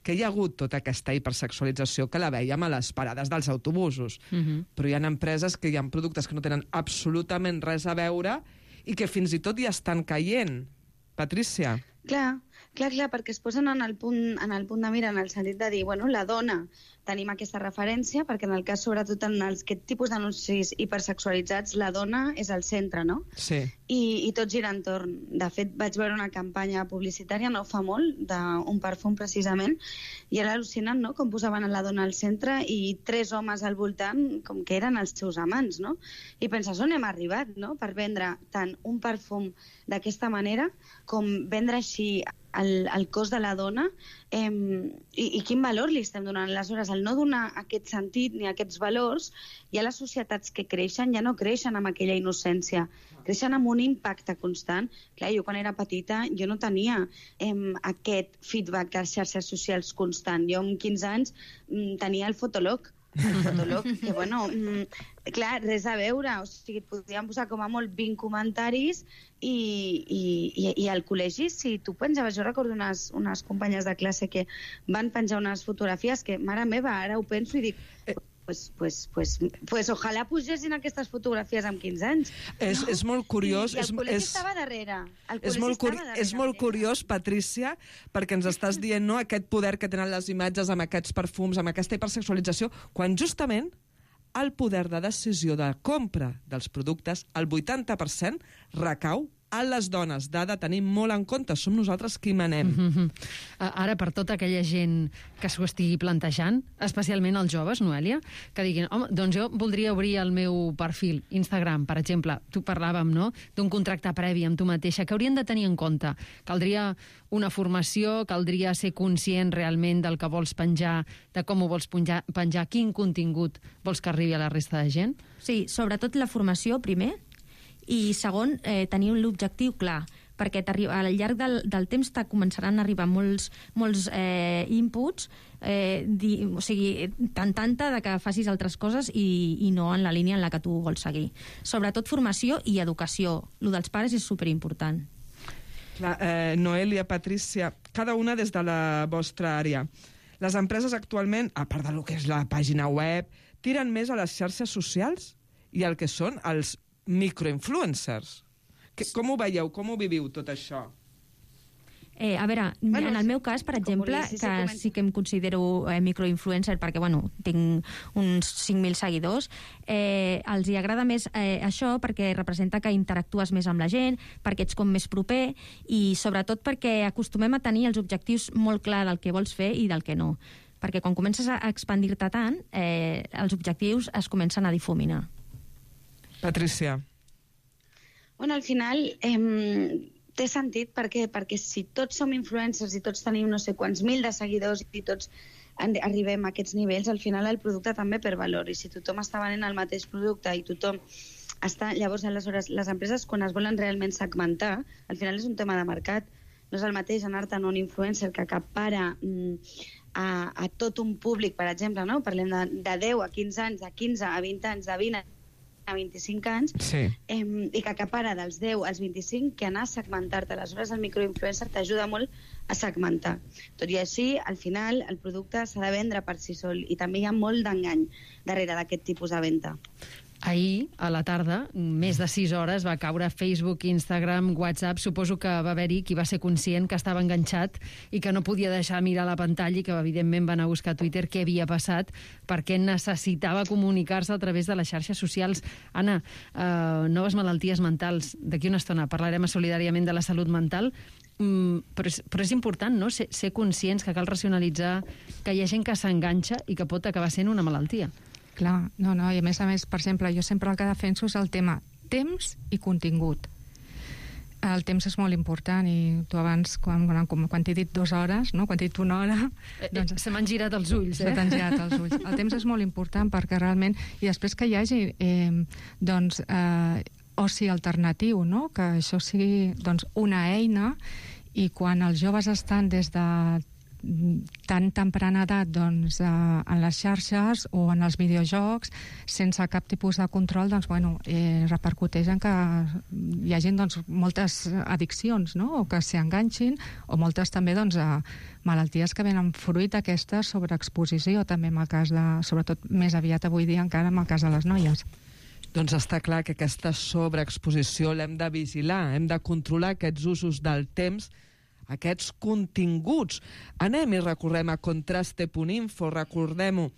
que hi ha hagut tota aquesta hipersexualització que la veiem a les parades dels autobusos. Uh-huh. Però hi ha empreses que hi ha productes que no tenen absolutament res a veure i que fins i tot hi estan caient. Patrícia. Clar, clar, clar, perquè es posen en el punt, en el punt de mira, en el sentit de dir, bueno, la dona, tenim aquesta referència, perquè en el cas, sobretot en els, aquest tipus d'anuncis hipersexualitzats, la dona és al centre, no? Sí. I, i tot gira entorn. De fet, vaig veure una campanya publicitària no fa molt, d'un perfum precisament, i era al·lucinant, no?, com posaven la dona al centre i tres homes al voltant com que eren els seus amants, no? I penses, on hem arribat, no?, per vendre tant un perfum d'aquesta manera com vendre així el, el cos de la dona eh, i, i quin valor li estem donant. Aleshores, al no donar aquest sentit ni aquests valors, ja les societats que creixen ja no creixen amb aquella innocència, creixen amb un impacte constant. Clar, jo quan era petita jo no tenia eh, aquest feedback a les xarxes socials constant. Jo amb quinze anys mm, tenia el Fotolog, el Fotolog, que bueno, mm, clar, res a veure, o sigui, et podien posar com a molt vint comentaris i, i, i, i al col·legi, si tu penjaves, jo recordo unes, unes companyes de classe que van penjar unes fotografies que, mare meva, ara ho penso i dic... Pues, pues, pues, pues ojalà pugessin aquestes fotografies amb quinze anys. És, no? és molt curiós... I, i el col·legi és, estava darrere. El és molt, curi darrere. És molt curiós, Patrícia, perquè ens estàs dient no, aquest poder que tenen les imatges amb aquests perfums, amb aquesta hipersexualització, quan justament el poder de decisió de compra dels productes, el vuitanta per cent recau a les dones. Dada, tenim molt en compte, som nosaltres qui manem. Mm-hmm. Ara, per tota aquella gent que s'ho estigui plantejant, especialment els joves, Noèlia, que diguin, home, doncs jo voldria obrir el meu perfil Instagram, per exemple, tu parlàvem, no?, d'un contracte previ amb tu mateixa, que haurien de tenir en compte. Caldria una formació, caldria ser conscient realment del que vols penjar, de com ho vols penjar, penjar quin contingut vols que arribi a la resta de gent? Sí, sobretot la formació, primer, i segon, eh, tenir l'objectiu clar, perquè al llarg del, del temps te començaran a arribar molts, molts eh, inputs, eh, di, o sigui, tant tanta de que facis altres coses i, i no en la línia en la que tu vols seguir. Sobretot formació i educació. Lo dels pares és superimportant. Clar, eh, Noèlia, Patrícia, cada una des de la vostra àrea. Les empreses actualment, a part del que és la pàgina web, tiren més a les xarxes socials i el que són els microinfluencers. Que, com ho veieu? Com ho viviu, tot això? Eh, a veure, bueno, en el meu cas, per exemple, sí, sí, que comenta. sí que em considero eh, microinfluencer perquè, bueno, tinc uns cinc mil seguidors, eh, els hi agrada més eh, això perquè representa que interactues més amb la gent, perquè ets com més proper i sobretot perquè acostumem a tenir els objectius molt clar del que vols fer i del que no. Perquè quan comences a expandir-te tant, eh, els objectius es comencen a difuminar. Patrícia. Bueno, al final eh, té sentit perquè, perquè si tots som influencers i tots tenim no sé quants mil de seguidors i tots arribem a aquests nivells, al final el producte també per valor. I si tothom està venent el mateix producte i tothom està... Llavors, aleshores, les empreses, quan es volen realment segmentar, al final és un tema de mercat. No és el mateix anar-te'n a un influencer que acapara mm, a, a tot un públic, per exemple, no? Parlem de, de deu a quinze anys, de quinze a vint anys, de vint a vint-i-cinc anys, sí. eh, i que acapara dels deu als vint-i-cinc, que anar a segmentar-te. Aleshores, el microinfluencer t'ajuda molt a segmentar. Tot i així, al final, el producte s'ha de vendre per si sol, i també hi ha molt d'engany darrere d'aquest tipus de venda. Ahir, a la tarda, més de sis hores, va caure Facebook, Instagram, WhatsApp. Suposo que va haver-hi qui va ser conscient que estava enganxat i que no podia deixar mirar la pantalla i que, evidentment, va anar a buscar a Twitter què havia passat perquè necessitava comunicar-se a través de les xarxes socials. Anna, eh, noves malalties mentals. D'aquí una estona parlarem solidàriament de la salut mental, mm, però, és, però és important, no?, ser, ser conscients que cal racionalitzar que hi ha gent que s'enganxa i que pot acabar sent una malaltia. Clar, no, no, i a més a més, per exemple, jo sempre el que defenso és el tema temps i contingut. El temps és molt important i tu abans, quan, quan, quan t'he dit dues hores, no? Quan t'he dit una hora... Eh, doncs, se m'han girat els ulls, eh? Se t'han girat els ulls. El temps és molt important perquè realment... I després que hi hagi eh, doncs, eh, oci alternatiu, no? Que això sigui doncs, una eina i quan els joves estan des de tan temprana edat doncs, eh, en les xarxes o en els videojocs sense cap tipus de control, doncs, bueno, eh, repercuteix en que hi hagi doncs, moltes addiccions, no? O que s'hi enganxin, o moltes també doncs, eh, malalties que venen fruit d'aquesta sobreexposició, també en el cas de, sobretot més aviat avui dia encara en el cas de les noies. Doncs està clar que aquesta sobreexposició l'hem de vigilar, hem de controlar aquests usos del temps, aquests continguts. Anem i recorrem a contraste punt info, recordem-ho,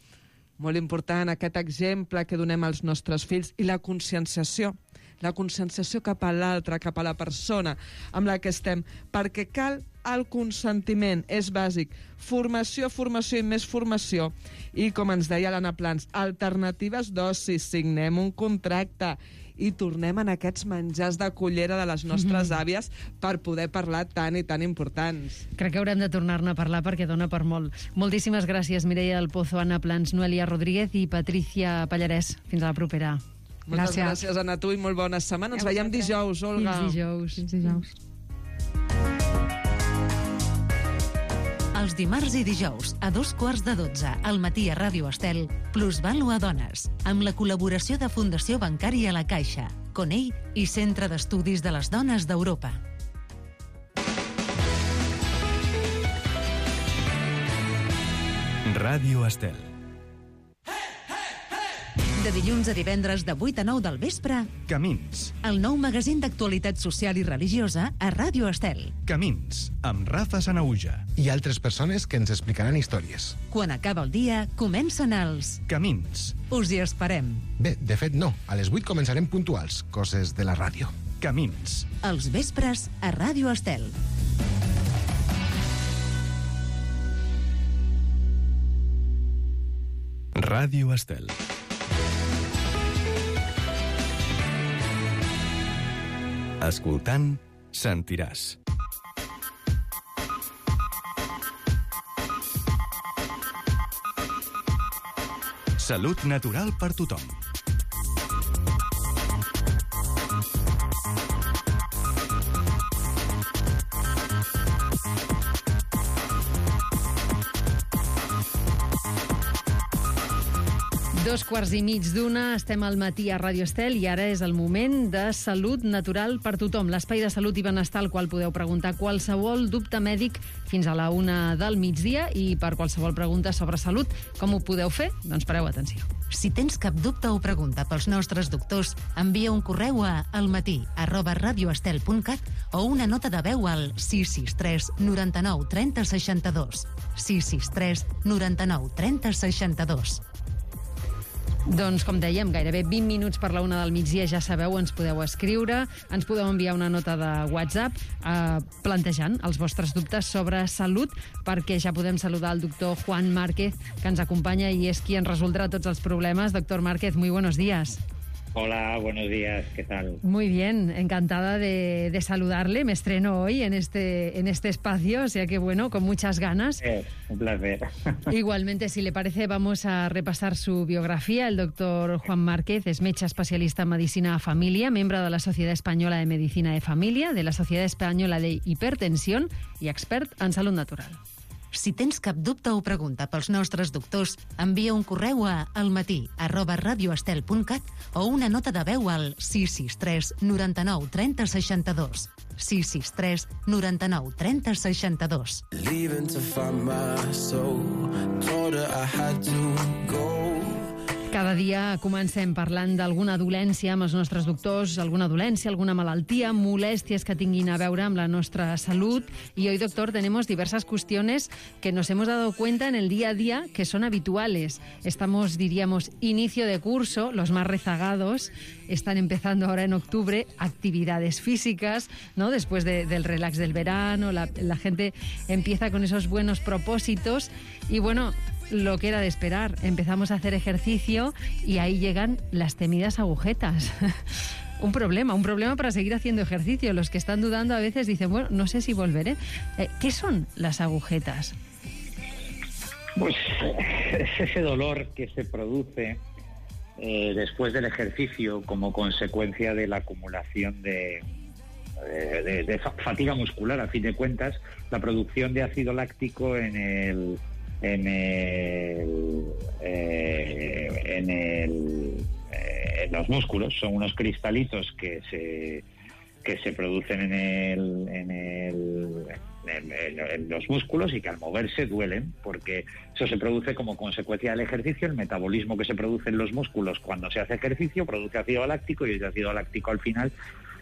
molt important aquest exemple que donem als nostres fills, i la conscienciació, la conscienciació cap a l'altre, cap a la persona amb la que estem, perquè cal el consentiment, és bàsic. Formació, formació i més formació. I, com ens deia l'Anna Plans, alternatives d'oci, signem un contracte i tornem en aquests menjars de cullera de les nostres mm-hmm. àvies per poder parlar tan i tan importants. Crec que haurem de tornar-ne a parlar perquè dona per molt. Moltíssimes gràcies, Mireia del Pozo, Anna Plans, Noèlia Rodríguez i Patricia Pallarès. Fins a la propera. Moltes gràcies, gràcies Anna, tu, i molt bona setmana. Ens veiem dijous, Olga. Fins dijous. Fins dijous. Els dimarts i dijous, a dos quarts de dotze, al matí a Ràdio Estel, Plusvalua a Dones, amb la col·laboració de Fundació Bancària La Caixa, Conell i Centre d'Estudis de les Dones d'Europa. Ràdio Estel. De dilluns a divendres de vuit a nou del vespre, Camins. El nou magazín d'actualitat social i religiosa a Ràdio Estel. Camins, amb Rafa Sanauja. I altres persones que ens explicaran històries. Quan acaba el dia, comencen els... Camins. Us hi esperem. Bé, de fet no. A les vuit començarem puntuals, coses de la ràdio. Camins. Els vespres a Ràdio Estel. Ràdio Estel. Escoltant, sentiràs. Salut natural per tothom. Dos quarts i mig d'una, estem al matí a Ràdio Estel i ara és el moment de Salut Natural per Tothom, l'espai de salut i benestar al qual podeu preguntar qualsevol dubte mèdic fins a la una del migdia, i per qualsevol pregunta sobre salut, com ho podeu fer? Doncs pareu atenció. Si tens cap dubte o pregunta pels nostres doctors, envia un correu a almatí arroba radioestel punt cat o una nota de veu al sis sis tres noranta-nou trenta seixanta-dos. sis sis tres noranta-nou trenta seixanta-dos. Doncs, com dèiem, gairebé vint minuts per la una del migdia, ja sabeu, ens podeu escriure, ens podeu enviar una nota de WhatsApp eh, plantejant els vostres dubtes sobre salut, perquè ja podem saludar el doctor Juan Márquez, que ens acompanya i és qui ens resoldrà tots els problemes. Doctor Márquez, muy buenos días. Hola, buenos días, ¿qué tal? Muy bien, encantada de, de saludarle. Me estreno hoy en este, en este espacio, o sea que bueno, con muchas ganas. Eh, un placer. Igualmente, si le parece, vamos a repasar su biografía. El doctor Juan Márquez es metge especialista en medicina de familia, miembro de la Sociedad Española de Medicina de Familia, de la Sociedad Española de Hipertensión y expert en salut natural. Si tens cap dubte o pregunta pels nostres doctors, envia un correu a almatí arroba radioestel punt cat o una nota de veu al sis sis tres noranta-nou trenta seixanta-dos. sis sis tres noranta-nou trenta seixanta-dos. Leaving to find my soul, told her I had to go. Cada dia comencem parlant d'alguna dolència amb els nostres doctors, alguna dolència, alguna malaltia, molèsties que tinguin a veure amb la nostra salud. Y hoy, doctor, tenemos diversas cuestiones que nos hemos dado cuenta en el día a día que son habituales. Estamos, diríamos, inicio de curso, los más rezagados están empezando ahora en octubre, actividades físicas, ¿no? Después de, del relax del verano, la, la gente empieza con esos buenos propósitos y, bueno, lo que era de esperar, empezamos a hacer ejercicio y ahí llegan las temidas agujetas. Un problema, un problema para seguir haciendo ejercicio. Los que están dudando a veces dicen, bueno, no sé si volveré. Eh, ¿Qué son las agujetas? Pues es ese dolor que se produce eh, después del ejercicio como consecuencia de la acumulación de, de, de, de fatiga muscular, a fin de cuentas, la producción de ácido láctico en el en el, eh, en, el eh, en los músculos. Son unos cristalitos que se que se producen en el en el en, en, en los músculos y que al moverse duelen, porque eso se produce como consecuencia del ejercicio. El metabolismo que se produce en los músculos cuando se hace ejercicio produce ácido láctico, y ese ácido láctico al final,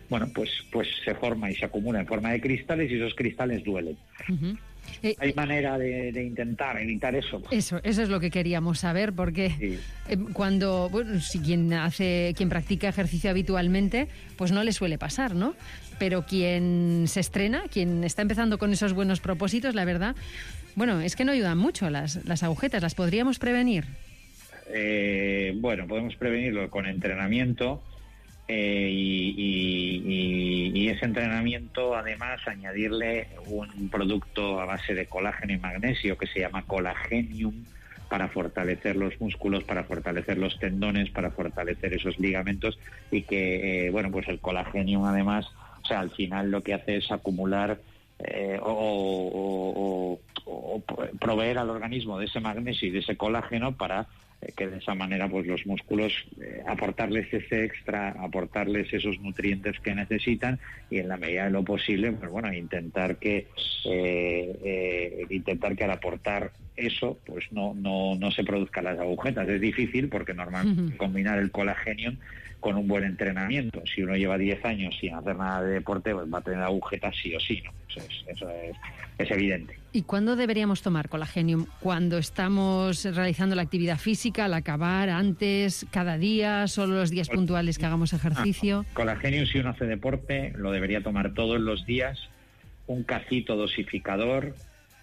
bueno, pues pues se forma y se acumula en forma de cristales, y esos cristales duelen. Uh-huh. Eh, ¿Hay manera de, de intentar evitar eso? Eso, eso es lo que queríamos saber, porque sí. eh, cuando, bueno, si quien hace, quien practica ejercicio habitualmente, pues no le suele pasar, ¿no? Pero quien se estrena, quien está empezando con esos buenos propósitos, la verdad, bueno, es que no ayudan mucho las, las agujetas. ¿Las podríamos prevenir? Eh, bueno, podemos prevenirlo con entrenamiento. Eh, y, y, y ese entrenamiento, además, añadirle un producto a base de colágeno y magnesio que se llama Colagenium, para fortalecer los músculos, para fortalecer los tendones, para fortalecer esos ligamentos, y que, eh, bueno, pues el Colagenium, además, o sea, al final lo que hace es acumular eh, o, o, o, o proveer al organismo de ese magnesio y de ese colágeno para que de esa manera pues los músculos eh, aportarles ese extra, aportarles esos nutrientes que necesitan, y en la medida de lo posible, pues bueno, intentar que eh, eh, intentar que al aportar eso pues no, no, no se produzcan las agujetas. Es difícil porque normalmente Ujú. combinar el Colagenium con un buen entrenamiento. Si uno lleva diez años sin hacer nada de deporte, pues va a tener agujetas sí o sí, ¿no? Eso es, eso es, es evidente. ¿Y cuándo deberíamos tomar Colagenium? ¿Cuando estamos realizando la actividad física, al acabar, antes, cada día, solo los días puntuales que hagamos ejercicio? Ah, Colagenium, si uno hace deporte, lo debería tomar todos los días, un cacito dosificador,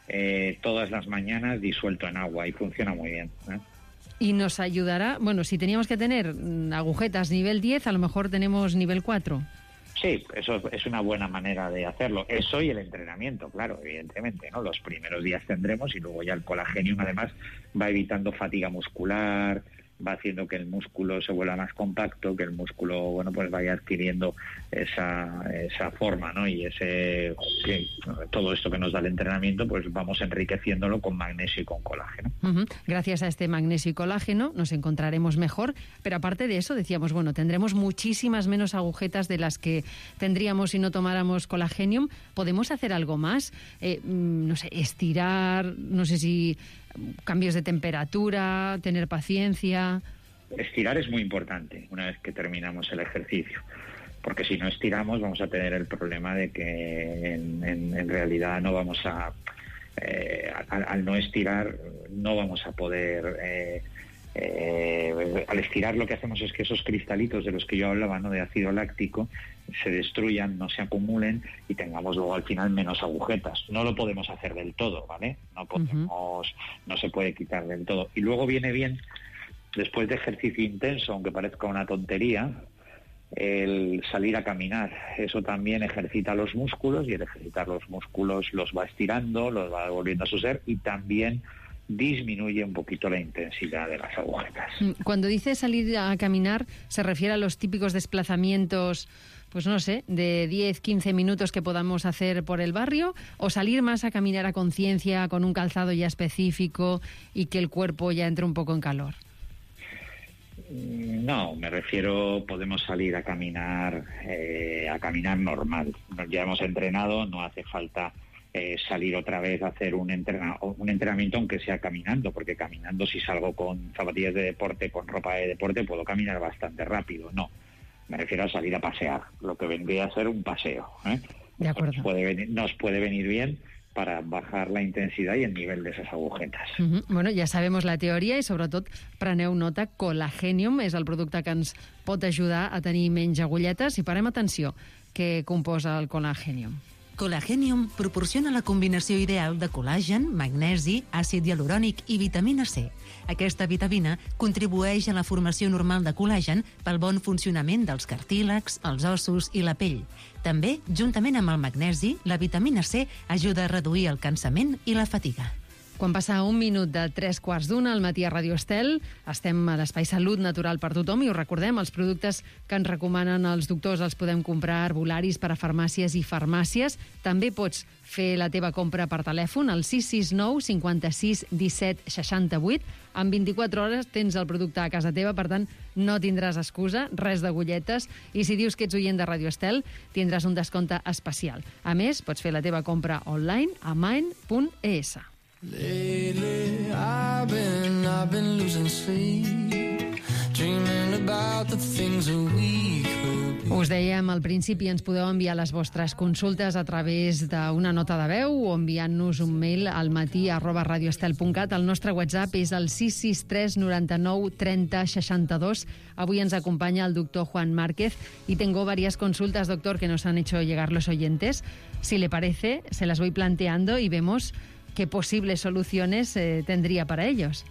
eh, todas las mañanas disuelto en agua, y funciona muy bien, ¿eh? Y nos ayudará, bueno, si teníamos que tener mm, agujetas nivel diez, a lo mejor tenemos nivel cuatro. Sí, eso es una buena manera de hacerlo. Eso y el entrenamiento, claro, evidentemente, ¿no? Los primeros días tendremos y luego ya el Colagenium además va evitando fatiga muscular, va haciendo que el músculo se vuelva más compacto, que el músculo, bueno, pues vaya adquiriendo esa, esa forma, ¿no? Y ese que, todo esto que nos da el entrenamiento, pues vamos enriqueciéndolo con magnesio y con colágeno. Ujú. Gracias a este magnesio y colágeno nos encontraremos mejor, pero aparte de eso decíamos, bueno, tendremos muchísimas menos agujetas de las que tendríamos si no tomáramos Colagenium. ¿Podemos hacer algo más? Eh, mm, no sé, estirar, no sé si cambios de temperatura, tener paciencia. Estirar es muy importante una vez que terminamos el ejercicio, porque si no estiramos vamos a tener el problema de que en, en, en realidad no vamos a, eh, al, al no estirar no vamos a poder, eh, eh, al estirar lo que hacemos es que esos cristalitos de los que yo hablaba, ¿no?, de ácido láctico, se destruyan, no se acumulen y tengamos luego al final menos agujetas. No lo podemos hacer del todo, ¿vale? No podemos, uh-huh. no se puede quitar del todo. Y luego viene bien, después de ejercicio intenso, aunque parezca una tontería, el salir a caminar. Eso también ejercita los músculos y el ejercitar los músculos los va estirando, los va volviendo a su ser y también disminuye un poquito la intensidad de las agujetas. Cuando dice salir a caminar, ¿se refiere a los típicos desplazamientos, pues no sé, de diez, quince minutos que podamos hacer por el barrio, o salir más a caminar a conciencia con un calzado ya específico y que el cuerpo ya entre un poco en calor? No, me refiero, podemos salir a caminar, eh, a caminar normal. Ya hemos entrenado, no hace falta eh, salir otra vez a hacer un, entrena, un entrenamiento, aunque sea caminando, porque caminando, si salgo con zapatillas de deporte, con ropa de deporte, puedo caminar bastante rápido. No, me refiero a salir a pasear, lo que vendría a ser un paseo, ¿eh? De acuerdo. Nos puede venir, nos puede venir bien para bajar la intensidad y el nivel de esas agujetes. Uh-huh. Bueno, ja sabem la teoria i sobretot preneu nota, Colagenium és el producte que ens pot ajudar a tenir menys agulletes i parem atenció, què composa el Colagenium. Colagenium proporciona la combinació ideal de col·làgen, magnesi, àcid hialurònic i vitamina C. Aquesta vitamina contribueix a la formació normal de col·làgen pel bon funcionament dels cartílags, els ossos i la pell. També, juntament amb el magnesi, la vitamina C ajuda a reduir el cansament i la fatiga. Quan passa un minut de tres quarts d'una al matí a Ràdio Estel, estem a l'Espai Salut Natural per tothom i us recordem, els productes que ens recomanen els doctors els podem comprar a arbolaris per a farmàcies i farmàcies. També pots fer la teva compra per telèfon al sis sis nou cinquanta-sis disset seixanta-vuit. En vint-i-quatre hores tens el producte a casa teva, per tant, no tindràs excusa, res d'agulletes, i si dius que ets oient de Ràdio Estel, tindràs un descompte especial. A més, pots fer la teva compra online a mind punt e essa. Lately, I've been, I've been losing sleep, dreaming about the things that we could be. Us dèiem al principi, ens podeu enviar les vostres consultes a través d'una nota de veu o enviant-nos un mail al matí arroba radioestel punt cat. El nostre WhatsApp és el sis sis tres noranta-nou trenta seixanta-dos. Avui ens acompanya el doctor Juan Márquez y tengo varias consultas, doctor, que nos han hecho llegar los oyentes. Si le parece, se las voy planteando y vemos qué posibles soluciones eh, tendría para ellos.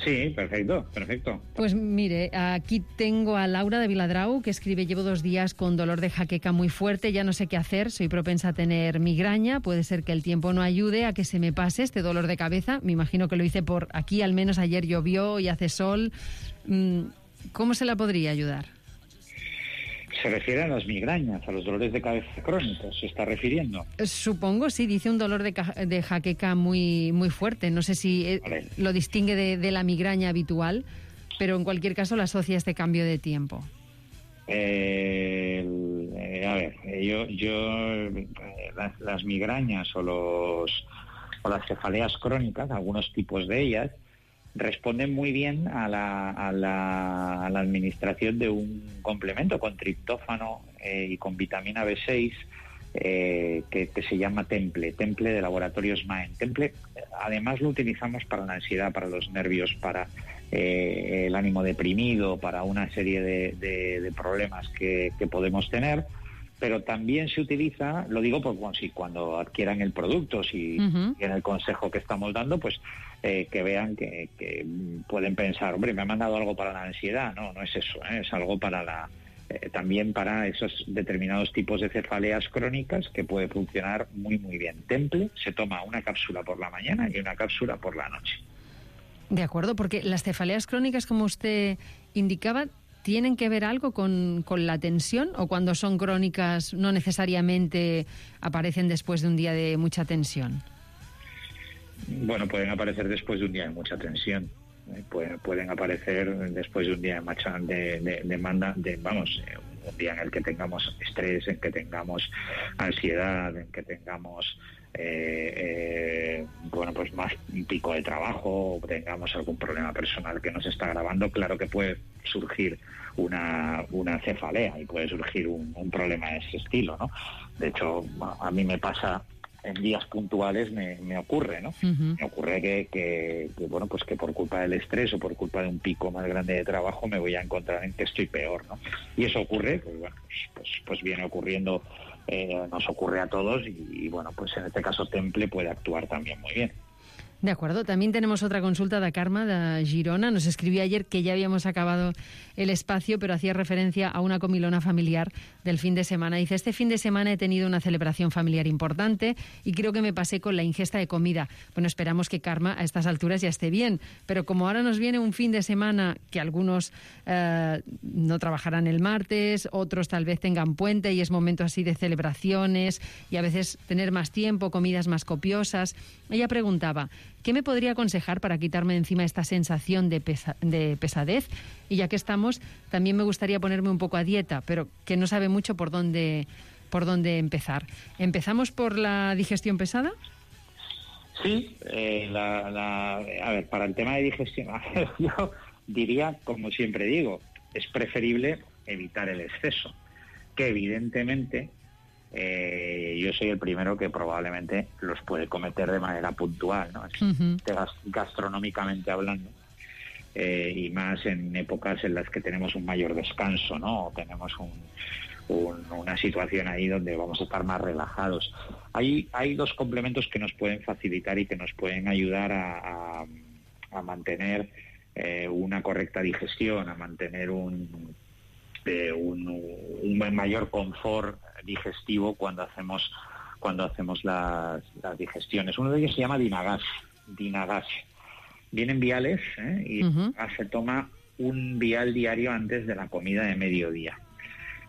Sí, perfecto, perfecto. Pues mire, aquí tengo a Laura de Viladrau, que escribe: llevo dos días con dolor de jaqueca muy fuerte, ya no sé qué hacer, soy propensa a tener migraña, puede ser que el tiempo no ayude a que se me pase este dolor de cabeza, me imagino que lo hice por aquí, al menos ayer llovió y hace sol. ¿Cómo se la podría ayudar? Se refiere a las migrañas, a los dolores de cabeza crónicos, ¿se está refiriendo? Supongo, sí, dice un dolor de, de jaqueca muy, muy fuerte. No sé si vale. lo distingue de, de la migraña habitual, pero en cualquier caso la asocia a este cambio de tiempo. Eh, eh, a ver, yo, yo eh, las, las migrañas o los o las cefaleas crónicas, algunos tipos de ellas, responden muy bien a la, a la, a la administración de un complemento con triptófano eh, y con vitamina B seis eh, que, que se llama Temple, Temple de Laboratorios Maen. Temple, además, lo utilizamos para la ansiedad, para los nervios, para eh, el ánimo deprimido, para una serie de, de, de problemas que, que podemos tener. Pero también se utiliza, lo digo porque bueno, si cuando adquieran el producto, si uh-huh. en el consejo que estamos dando, pues eh, que vean que, que pueden pensar, hombre, me han mandado algo para la ansiedad. No, no es eso, ¿eh? Es algo para la eh, también para esos determinados tipos de cefaleas crónicas que puede funcionar muy, muy bien. Temple se toma una cápsula por la mañana y una cápsula por la noche. De acuerdo, porque las cefaleas crónicas, como usted indicaba, ¿tienen que ver algo con, con la tensión o cuando son crónicas no necesariamente aparecen después de un día de mucha tensión? Bueno, pueden aparecer después de un día de mucha tensión. Eh, pueden, pueden aparecer después de un día de macha, de, de, de, manda, de vamos, eh, un día en el que tengamos estrés, en que tengamos ansiedad, en que tengamos eh, eh, bueno, pues más un pico de trabajo, o tengamos algún problema personal que nos está agravando. Claro que puede surgir una, una cefalea y puede surgir un, un problema de ese estilo, ¿no? De hecho, a mí me pasa en días puntuales, me, me ocurre, ¿no? Uh-huh. Me ocurre que, que, que, bueno, pues que por culpa del estrés o por culpa de un pico más grande de trabajo me voy a encontrar en que estoy peor, ¿no? Y eso ocurre, pues bueno, pues, pues, pues viene ocurriendo, eh, nos ocurre a todos y, y bueno, pues en este caso Temple puede actuar también muy bien. De acuerdo. También tenemos otra consulta de Carme, de Girona. Nos escribió ayer que ya habíamos acabado el espacio, pero hacía referencia a una comilona familiar del fin de semana. Dice, este fin de semana he tenido una celebración familiar importante y creo que me pasé con la ingesta de comida. Bueno, esperamos que Carme a estas alturas ya esté bien, pero como ahora nos viene un fin de semana que algunos eh, no trabajarán el martes, otros tal vez tengan puente y es momento así de celebraciones y a veces tener más tiempo, comidas más copiosas. Ella preguntaba, ¿qué me podría aconsejar para quitarme de encima esta sensación de, pesa- de pesadez? Y ya que estamos, también me gustaría ponerme un poco a dieta, pero que no sabe mucho por dónde, por dónde empezar. ¿Empezamos por la digestión pesada? Sí, eh, la, la, a ver, para el tema de digestión, yo diría, como siempre digo, es preferible evitar el exceso, que evidentemente Eh, yo soy el primero que probablemente los puede cometer de manera puntual, ¿no? Uh-huh. Gastronómicamente hablando, eh, y más en épocas en las que tenemos un mayor descanso, ¿no? O tenemos un, un, una situación ahí donde vamos a estar más relajados. Hay, hay dos complementos que nos pueden facilitar y que nos pueden ayudar a, a, a mantener eh, una correcta digestión, a mantener un de un, un mayor confort digestivo cuando hacemos cuando hacemos las, las digestiones. Uno de ellos se llama Dinagas. Dinagas. Vienen viales, ¿eh? Y uh-huh. se toma un vial diario antes de la comida de mediodía.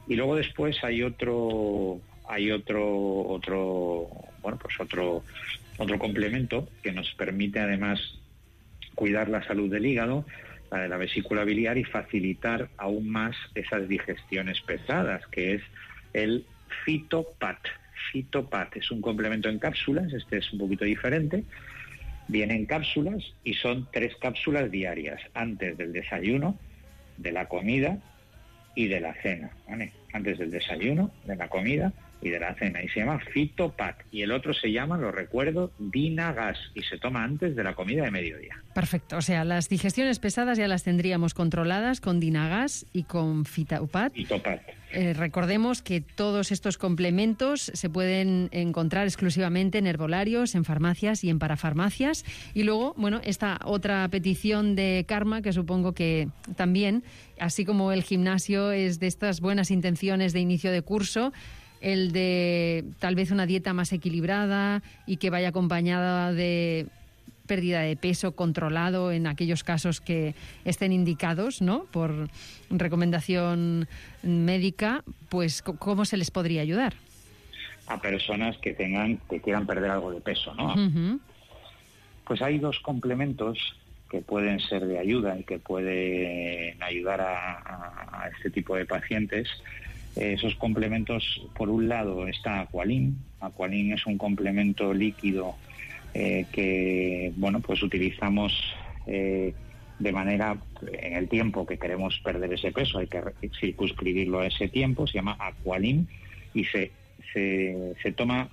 Y luego después hay otro hay otro otro bueno pues otro otro complemento que nos permite además cuidar la salud del hígado, la de la vesícula biliar y facilitar aún más esas digestiones pesadas, que es el Fitopat. Fitopat es un complemento en cápsulas, este es un poquito diferente, viene en cápsulas y son tres cápsulas diarias, antes del desayuno, de la comida y de la cena, ¿vale? Antes del desayuno, de la comida y de la cena, y se llama Fitopat, y el otro se llama, lo recuerdo, Dinagas, y se toma antes de la comida de mediodía. Perfecto, o sea, las digestiones pesadas ya las tendríamos controladas con Dinagas y con Fitopat. Fitopat. Eh, recordemos que todos estos complementos se pueden encontrar exclusivamente en herbolarios, en farmacias y en parafarmacias. Y luego, bueno, esta otra petición de Carme, que supongo que también, así como el gimnasio es de estas buenas intenciones de inicio de curso, el de tal vez una dieta más equilibrada y que vaya acompañada de pérdida de peso controlado en aquellos casos que estén indicados, ¿no?, por recomendación médica, pues ¿cómo se les podría ayudar? A personas que tengan, que quieran perder algo de peso, ¿no? Uh-huh. Pues hay dos complementos que pueden ser de ayuda y que pueden ayudar a, a, a este tipo de pacientes. Esos complementos, por un lado está Aqualin. Aqualin es un complemento líquido eh, que, bueno, pues utilizamos eh, de manera, en el tiempo que queremos perder ese peso, hay que circunscribirlo a ese tiempo, se llama Aqualim, y se, se, se toma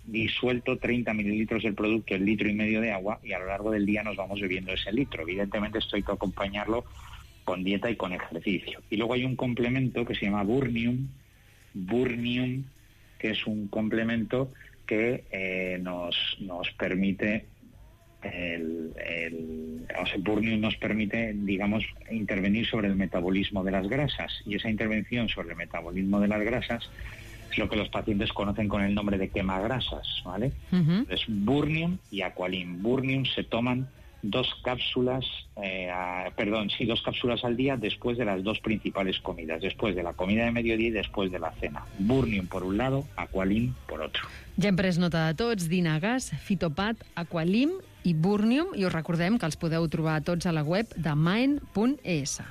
disuelto treinta mililitros del producto, el litro y medio de agua, y a lo largo del día nos vamos bebiendo ese litro. Evidentemente esto hay que acompañarlo con dieta y con ejercicio. Y luego hay un complemento que se llama Burnium, Burnium, que es un complemento que eh, nos, nos permite, el, el, o sea, Burnium nos permite, digamos, intervenir sobre el metabolismo de las grasas, y esa intervención sobre el metabolismo de las grasas es lo que los pacientes conocen con el nombre de quemagrasas, ¿vale? Uh-huh. Es Burnium y Aqualim. Burnium se toman dos cápsulas, eh, a, perdón, sí, dos cápsulas al día después de las dos principales comidas, después de la comida de mediodía y después de la cena. Burnium por un lado, Aqualim por otro. Ja hem pres nota de tots, Dinagas, Fitopat, Aqualim i Burnium, i us recordem que els podeu trobar tots a la web de Mind punt e essa.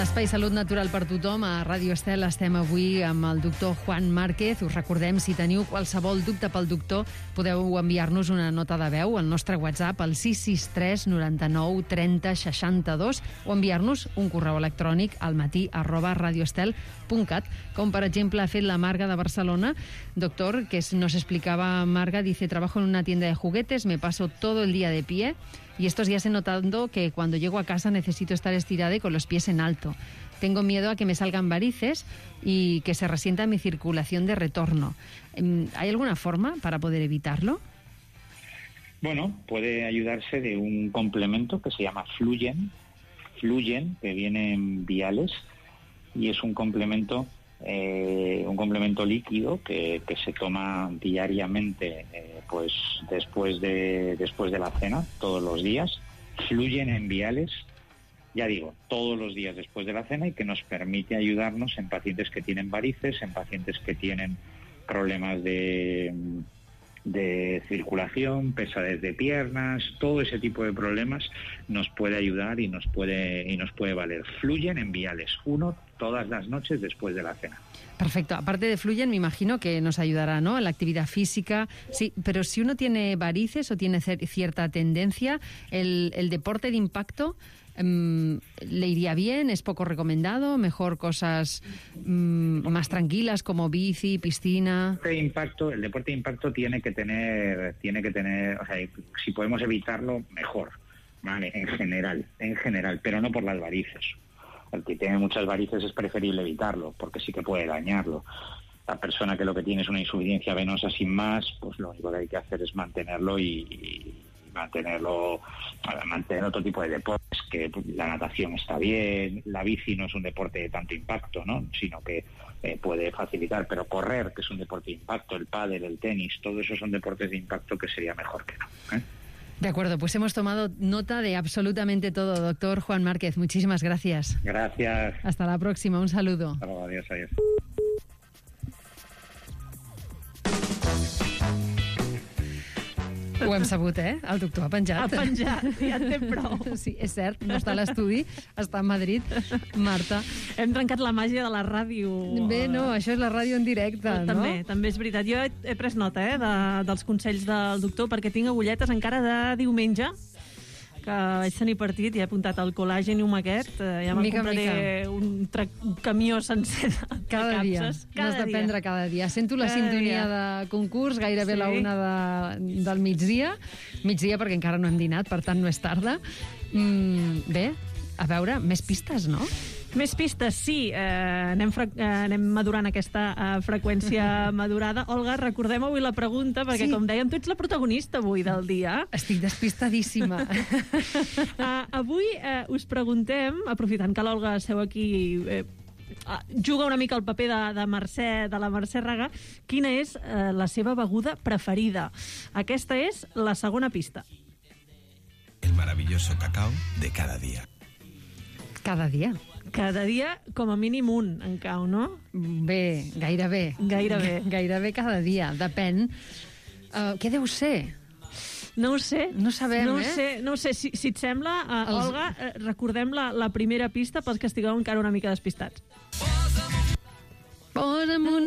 Espai Salut Natural per Tothom, a Ràdio Estel estem avui amb el doctor Juan Márquez. Us recordem, si teniu qualsevol dubte pel doctor, podeu enviar-nos una nota de veu al nostre WhatsApp al sis sis tres noranta-nou trenta seixanta-dos o enviar-nos un correu electrònic al matí arroba radioestel punt cat, com per exemple ha fet la Marga de Barcelona. Doctor, que nos explicaba Marga, dice: trabajo en una tienda de juguetes, me paso todo el día de pie y estos días he notado que cuando llego a casa necesito estar estirada y con los pies en alto. Tengo miedo a que me salgan varices y que se resienta mi circulación de retorno. ¿Hay alguna forma para poder evitarlo? Bueno, puede ayudarse de un complemento que se llama Fluyen, Fluyen, que viene en viales, y es un complemento eh, un complemento líquido que, que se toma diariamente, eh, pues después de después de la cena, todos los días. Fluyen en viales, ya digo, todos los días después de la cena, y que nos permite ayudarnos en pacientes que tienen varices, en pacientes que tienen problemas de, de circulación, pesadez de piernas, todo ese tipo de problemas nos puede ayudar y nos puede, y nos puede valer. Fluyen en viales, uno todas las noches después de la cena. Perfecto. Aparte de Fluyen, me imagino que nos ayudará, ¿no?, en la actividad física. Sí, pero si uno tiene varices o tiene cierta tendencia, el, el deporte de impacto um, le iría bien, es poco recomendado, mejor cosas um, más tranquilas como bici, piscina. El deporte de impacto, el deporte de impacto tiene que tener, tiene que tener, o sea, si podemos evitarlo, mejor, ¿vale? En general, en general, pero no por las varices. El que tiene muchas varices es preferible evitarlo, porque sí que puede dañarlo. La persona que lo que tiene es una insuficiencia venosa sin más, pues lo único que hay que hacer es mantenerlo y, y mantenerlo, mantener otro tipo de deportes, que la natación está bien, la bici no es un deporte de tanto impacto, ¿no?, sino que eh, puede facilitar, pero correr, que es un deporte de impacto, el pádel, el tenis, todo eso son deportes de impacto que sería mejor que no, ¿eh? De acuerdo, pues hemos tomado nota de absolutamente todo. Doctor Juan Márquez, muchísimas gracias. Gracias. Hasta la próxima, un saludo. Hasta luego, adiós, adiós. Ho hem sabut, eh? El doctor ha penjat. Ha penjat, ja en té prou. Sí, és cert, no està a l'estudi, està a Madrid. Marta. Hem trencat la màgia de la ràdio. Bé, no, això és la ràdio en directe, no? També, també és veritat. Jo he, he pres nota eh, de, dels consells del doctor, perquè tinc agulletes encara de diumenge, que vaig tenir partit i he apuntat el col·làgenium aquest. Ja me'n compraré un, un camió sencer de cada dia. capses. Cada N'has de prendre cada dia. Sento la cada sintonia dia. de concurs, gairebé sí. la una de, del migdia. Migdia perquè encara no hem dinat, per tant no és tarda. Mm, bé, a veure, més pistes, no? Més pistes, sí. Eh, anem, fre eh, anem madurant aquesta eh, freqüència madurada. Olga, recordem avui la pregunta, perquè, sí. com dèiem, tu ets la protagonista avui del dia. Estic despistadíssima. uh, avui eh, us preguntem, aprofitant que l'Olga seu aquí... Eh, juga una mica el paper de, de, Mercè, de la Mercè Raga, quina és eh, la seva beguda preferida. Aquesta és la segona pista. El maravilloso cacao de cada día. Cada dia. Cada dia, com a mínim un, en cau, no? Bé, gairebé. Gairebé. Gairebé cada dia, depèn. Uh, què deu ser? No ho sé. No sabem, no eh? Sé, no ho sé. Si, si et sembla, uh, Els... Olga, uh, recordem la, la primera pista pels que estigueu encara una mica despistats. Posa'm un...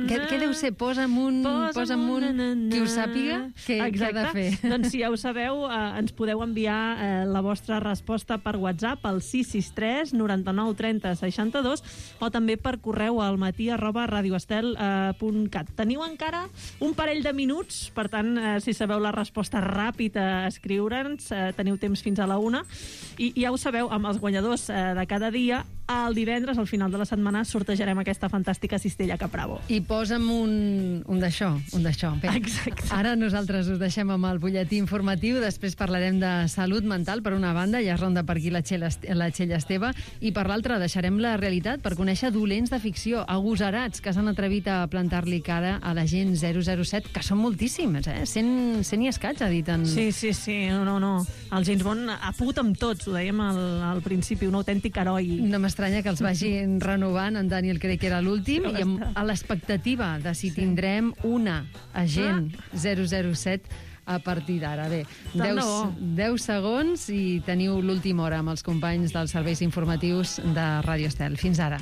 Què, què deu ser? Posa'm un... Posa'm un... Qui ho sàpiga, què, què ha de fer? Doncs si ja ho sabeu, eh, ens podeu enviar eh, la vostra resposta per WhatsApp al sis sis tres noranta-nou trenta seixanta-dos o també per correu al matí arroba radioestel punt cat. Teniu encara un parell de minuts, per tant, eh, si sabeu la resposta ràpid a escriure'ns, eh, teniu temps fins a la una. I ja ho sabeu, amb els guanyadors eh, de cada dia, el divendres, al final de la setmana, sortejarem aquesta fantàstica cistella Capravo. I posa'm un, un d'això, un d'això. Exacte. Ara nosaltres us deixem amb el butlletí informatiu, després parlarem de salut mental, per una banda, ja es ronda per aquí la Txell, la Txell Esteve, i per l'altra deixarem la realitat per conèixer dolents de ficció, agosarats, que s'han atrevit a plantar-li cara a l'agent zero zero set, que són moltíssims, eh? Cent, cent i escaig, ha dit en... Sí, sí, sí, no, no, no. El James Bond ha pogut amb tots, ho dèiem al, al principi, un autèntic heroi. No m'estranya que els vagin renovant, en Daniel crec que era l'últim, i amb, a l'expectativa de si sí. tindrem una agent zero zero set a partir d'ara. Bé, deu segons i teniu l'última hora amb els companys dels serveis informatius de Ràdio Estel. Fins ara.